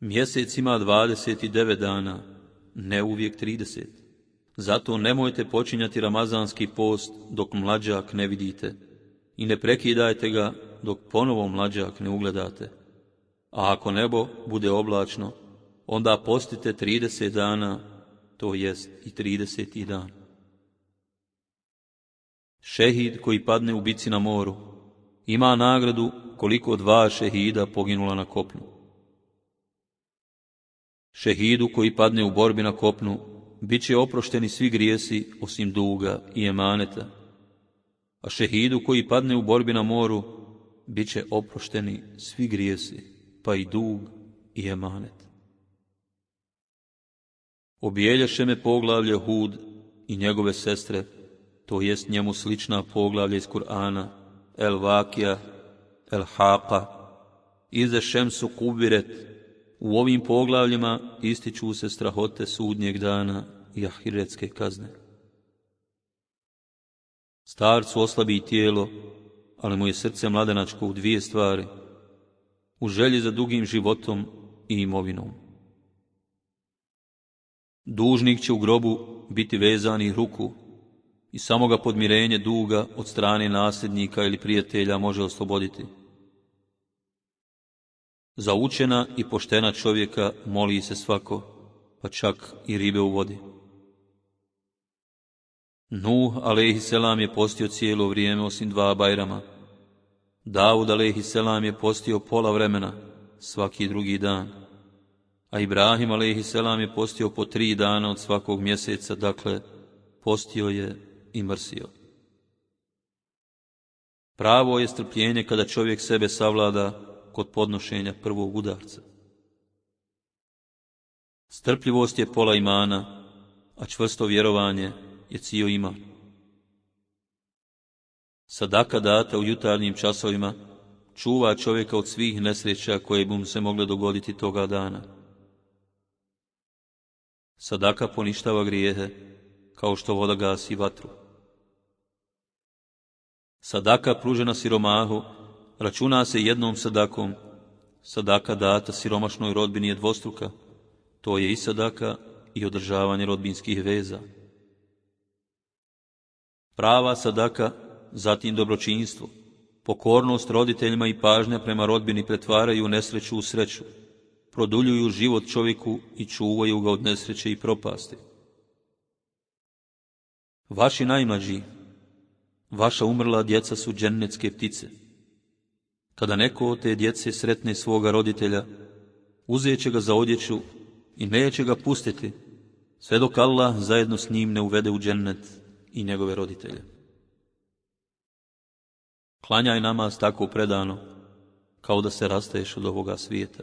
Mjesec ima 29 dana, ne uvijek 30. Zato nemojte počinjati ramazanski post dok mlađak ne vidite i ne prekidajte ga dok ponovo mlađak ne ugledate. A ako nebo bude oblačno, onda postite 30 dana, to jest i 30. dan. Šehid koji padne u bici na moru ima nagradu koliko 2 šehida poginula na kopnu. Šehidu koji padne u borbi na kopnu bit će oprošteni svi grijesi osim duga i emaneta, a šehidu koji padne u borbi na moru bit će oprošteni svi grijesi, pa i dug i emanet. Obijelješe me poglavlje Hud i njegove sestre, to jest njemu slična poglavlja iz Kur'ana, El Vakija, El Haqa, Ize Šemsu Kubiret. U ovim poglavljima ističu se strahote sudnjeg dana i ahiretske kazne. Starcu oslabi tijelo, ali mu je srce mladenačko u 2 stvari: u želji za dugim životom i imovinom. Dužnik će u grobu biti vezanih ruku i samo ga podmirenje duga od strane nasljednika ili prijatelja može osloboditi. Za učena i poštena čovjeka moli se svako, pa čak i ribe u vodi. Nuh alejhiselam je postio cijelo vrijeme osim 2 bajrama. Davud alejhiselam je postio pola vremena, svaki drugi dan. A Ibrahim alejhiselam je postio po 3 dana od svakog mjeseca, dakle, postio je i mrsio. Pravo je strpljenje kada čovjek sebe savlada kod podnošenja prvog udarca. Strpljivost je pola imana, a čvrsto vjerovanje je cijel iman. Sadaka data u jutarnjim časovima čuva čovjeka od svih nesreća koje bi mu se mogle dogoditi toga dana. Sadaka poništava grijehe, kao što voda gasi vatru. Sadaka pružena siromahu računa se jednom sadakom. Sadaka data siromašnoj rodbini je dvostruka. To je i sadaka i održavanje rodbinskih veza. Prava sadaka, zatim dobročinstvo, pokornost roditeljima i pažnja prema rodbini pretvaraju nesreću u sreću, produljuju život čovjeku i čuvaju ga od nesreće i propasti. Vaši najmlađi, Vaša umrla djeca su džennetske ptice. Kada neko od te djece sretne svoga roditelja, uzet će ga za odjeću i neće ga pustiti, sve dok Allah zajedno s njim ne uvede u džennet i njegove roditelje. Klanjaj namaz tako predano, kao da se rastaješ od ovoga svijeta.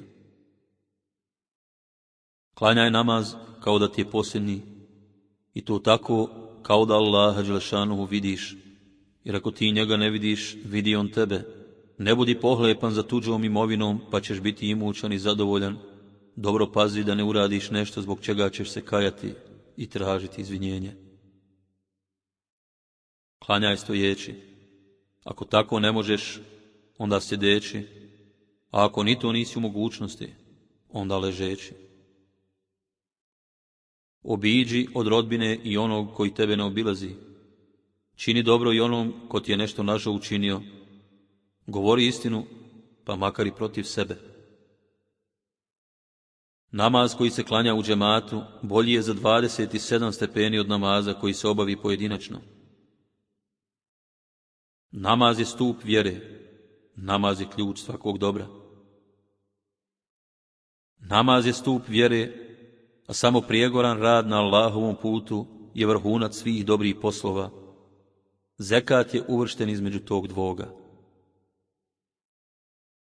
Klanjaj namaz kao da ti je posljednji, i to tako kao da Allaha dželešanuhu vidiš, jer ako ti njega ne vidiš, vidi on tebe. Ne budi pohlepan za tuđom imovinom, pa ćeš biti imućan i zadovoljan. Dobro pazi da ne uradiš nešto zbog čega ćeš se kajati i tražiti izvinjenje. Klanjaj stojeći. Ako tako ne možeš, onda sjedeći, a ako ni to nisi u mogućnosti, onda ležeći. Obiđi od rodbine i onog koji tebe ne obilazi. Čini dobro i onom ko ti je nešto nažao učinio. Govori istinu, pa makar i protiv sebe. Namaz koji se klanja u džematu bolji je za 27 stepeni od namaza koji se obavi pojedinačno. Namaz je stup vjere, namaz je ključ svakog dobra. Namaz je stup vjere, a samo prijegoran rad na Allahovom putu je vrhunac svih dobrih poslova. Zekat je uvršten između tog dvoga.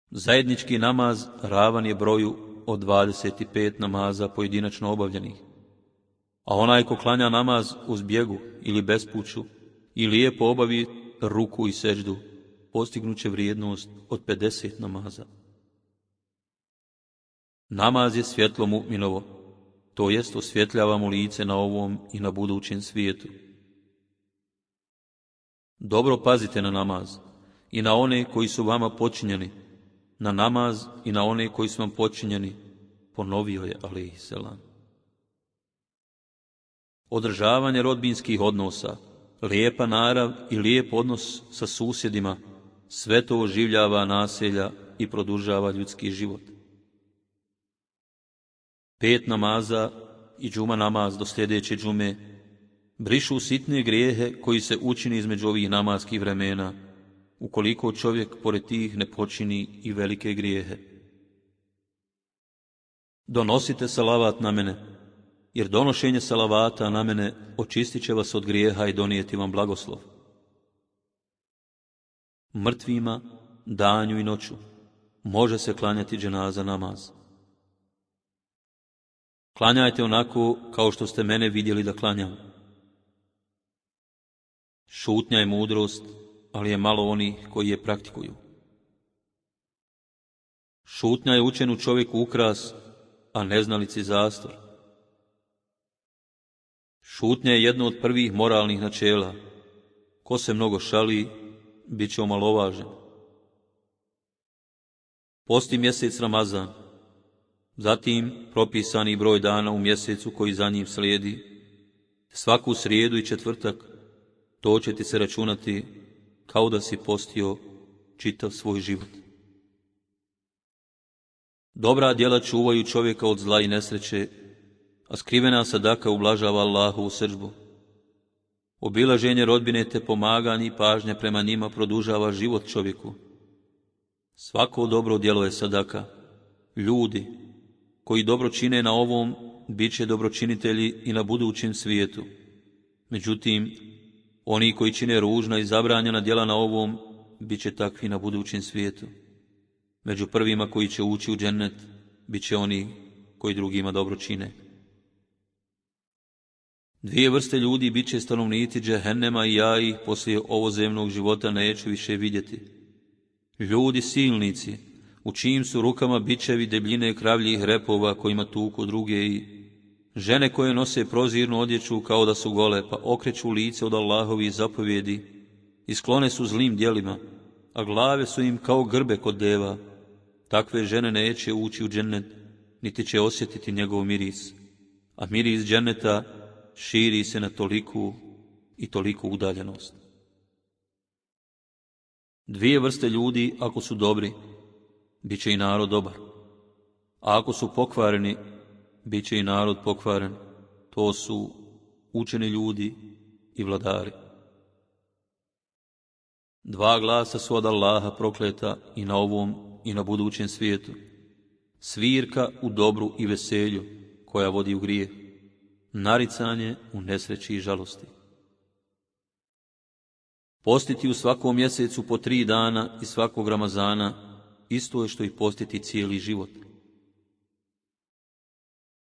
Zajednički namaz ravan je broju od 25 namaza pojedinačno obavljenih, a onaj ko klanja namaz u zbjegu ili bespuću i lijepo obavi ruku i seđdu, postignuće vrijednost od 50 namaza. Namaz je svjetlo mu'minovo, to jest osvjetljava mu lice na ovom i na budućem svijetu. Dobro pazite na namaz i na one koji su vama počinjeni, na namaz i na one koji su vam počinjeni, ponovio je alejhiselam. Održavanje rodbinskih odnosa, lijepa narav i lijep odnos sa susjedima, sve to oživljava naselja i produžava ljudski život. 5 namaza i džuma namaz do sljedeće džume brišu sitne grijehe koji se učini između ovih namaskih vremena, ukoliko čovjek pored tih ne počini i velike grijehe. Donosite salavat na mene, jer donošenje salavata na mene očistit će vas od grijeha i donijeti vam blagoslov. Mrtvima, danju i noću, može se klanjati dženaza namaz. Klanjajte onako kao što ste mene vidjeli da klanjam. Šutnja je mudrost, ali je malo onih koji je praktikuju. Šutnja je učenu čovjeku ukras, a neznalici zastor. Šutnja je jedno od prvih moralnih načela. Ko se mnogo šali, bit će omalovažen. Posti mjesec Ramazan, zatim propisani broj dana u mjesecu koji za njim slijedi, svaku srijedu i četvrtak, to će ti se računati kao da si postio čitav svoj život. Dobra djela čuvaju čovjeka od zla i nesreće, a skrivena sadaka ublažava Allahovu srdžbu. Obilaženje rodbine te pomaganje i pažnja prema njima produžava život čovjeku. Svako dobro djelo je sadaka. Ljudi koji dobro čine na ovom, bit će dobročinitelji i na budućem svijetu. Međutim, oni koji čine ružna i zabranjena djela na ovom, bit će takvi na budućem svijetu. Među prvima koji će ući u džennet, bit će oni koji drugima dobro čine. 2 vrste ljudi bit će stanovnici džehennema i ja ih poslije ovozemnog života neću više vidjeti. Ljudi silnici, u čijim su rukama bičevi debljine kravljih repova kojima tuku druge, i žene koje nose prozirnu odjeću kao da su gole, pa okreću lice od Allahovih zapovjedi i sklone su zlim djelima, a glave su im kao grbe kod deva. Takve žene neće ući u džennet, niti će osjetiti njegov miris, a miris dženneta širi se na toliku i toliku udaljenost. 2 vrste ljudi, ako su dobri, bit će i narod dobar, a ako su pokvareni, bit će i narod pokvaren. To su učeni ljudi i vladari. 2 glasa su od Allaha prokleta i na ovom i na budućem svijetu. Svirka u dobru i veselju, koja vodi u grijeh. Naricanje u nesreći i žalosti. Postiti u svakom mjesecu po 3 dana i svakog Ramazana isto je što i postiti cijeli život.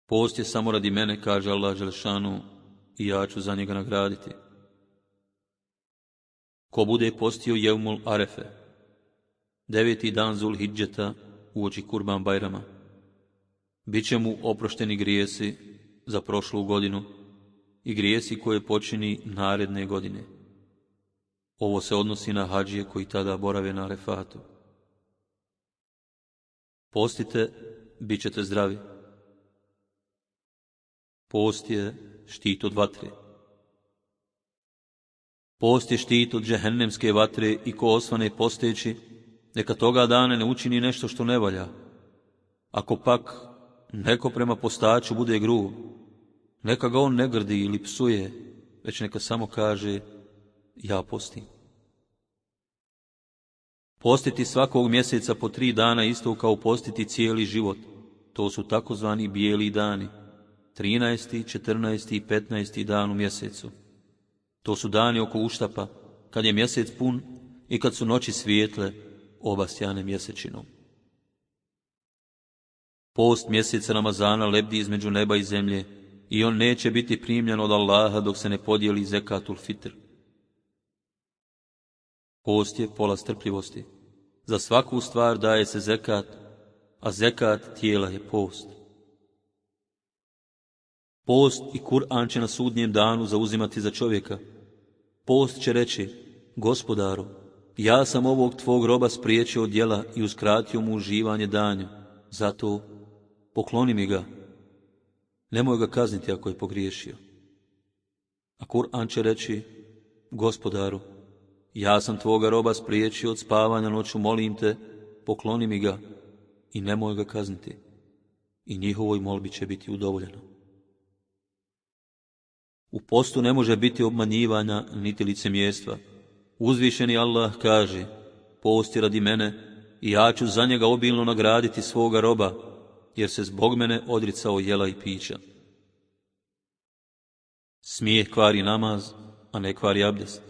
Post je samo radi mene, kaže Allah dželešanu, i ja ću za njega nagraditi. Ko bude postio Jevmul Arefe, 9. dan Zulhidžeta uoči Kurban Bajrama, bit će mu oprošteni grijesi za prošlu godinu i grijesi koje počini naredne godine. Ovo se odnosi na hadžije koji tada borave na Arefatu. Postite, bit ćete zdravi. Post je štit od vatre. Post je štit od džehennemske vatre i ko osvane posteći, neka toga dana ne učini nešto što ne valja. Ako pak neko prema postaču bude grub, neka ga on ne grdi ili psuje, već neka samo kaže, ja postim. Postiti svakog mjeseca po 3 dana isto kao postiti cijeli život. To su takozvani bijeli dani, 13., 14. i 15. dan u mjesecu. To su dani oko uštapa, kad je mjesec pun i kad su noći svijetle, obasjane mjesečinom. Post mjeseca Ramazana lebdi između neba i zemlje i on neće biti primljen od Allaha dok se ne podijeli zekatul fitr. Post je pola strpljivosti. Za svaku stvar daje se zekat, a zekat tijela je post. Post i Kur'an će na sudnjem danu zauzimati za čovjeka. Post će reći, Gospodaru, ja sam ovog tvog roba spriječio od djela i uskratio mu uživanje danju, zato pokloni mi ga. Nemoj ga kazniti ako je pogriješio. A Kur'an će reći, Gospodaru, ja sam tvoga roba spriječio od spavanja noću, molim te, pokloni mi ga i nemoj ga kazniti. I njihovoj molbi će biti udovoljeno. U postu ne može biti obmanjivanja niti licemjerstva. Uzvišeni Allah kaže, post je radi mene i ja ću za njega obilno nagraditi svoga roba, jer se zbog mene odricao jela i pića. Smijeh kvari namaz, a ne kvari abdest.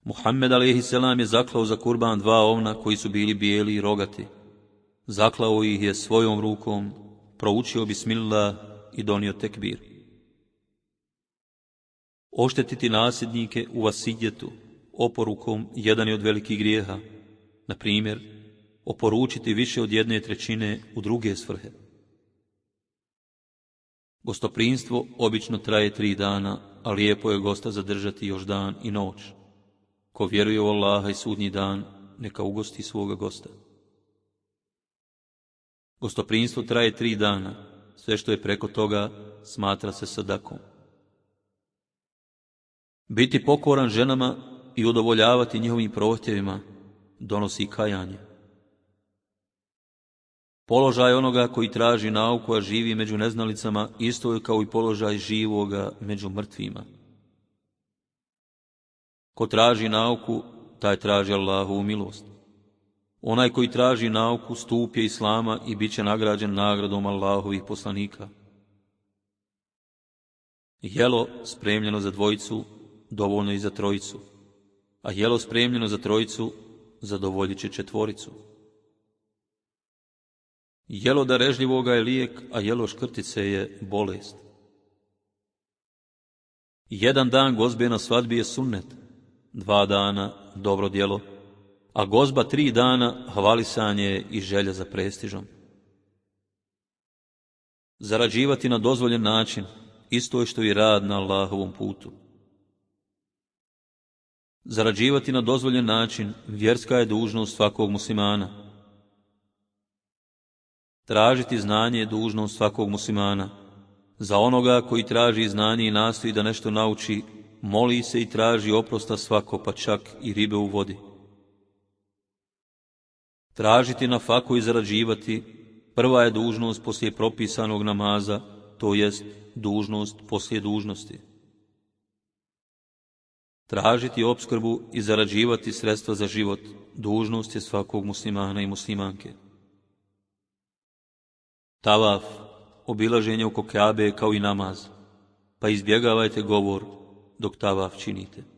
Muhammed a.s. je zaklao za kurban 2 ovna koji su bili bijeli i rogati. Zaklao ih je svojom rukom, proučio bismillah i donio tekbir. Oštetiti nasljednike u vasijetu oporukom jedan je od velikih grijeha. Na primjer, oporučiti više od 1/3 u druge svrhe. Gostoprinstvo obično traje 3 dana, a lijepo je gosta zadržati još dan i noć. Ko vjeruje u Allaha i sudnji dan, neka ugosti svoga gosta. Gostoprinstvo traje 3 dana, sve što je preko toga smatra se sadakom. Biti pokoran ženama i udovoljavati njihovim prohtjevima donosi kajanje. Položaj onoga koji traži nauku, a živi među neznalicama, isto je kao i položaj živoga među mrtvima. Ko traži nauku, taj traži Allahovu milost. Onaj koji traži nauku, stup je Islama i bit će nagrađen nagradom Allahovih poslanika. Jelo spremljeno za 2, dovoljno i za 3, a jelo spremljeno za 3 zadovoljit će 4. Jelo darežljivoga je lijek, a jelo škrtice je bolest. 1 dan gozbe na svadbi je sunnet, 2 dana dobro djelo, a gozba 3 dana hvalisanje i želja za prestižom. Zarađivati na dozvoljen način isto je što i rad na Allahovom putu. Zarađivati na dozvoljen način vjerska je dužnost svakog muslimana. Tražiti znanje je dužnost svakog muslimana. Za onoga koji traži znanje i nastoji da nešto nauči, moli se i traži oprosta svako, pa čak i ribe u vodi. Tražiti na faku i zarađivati prva je dužnost poslije propisanog namaza, to jest dužnost poslije dužnosti. Tražiti opskrbu i zarađivati sredstva za život dužnost je svakog muslimana i muslimanke. Tavaf, obilaženje oko Kjabe kao i namaz, pa izbjegavajte govor dok tavaf činite.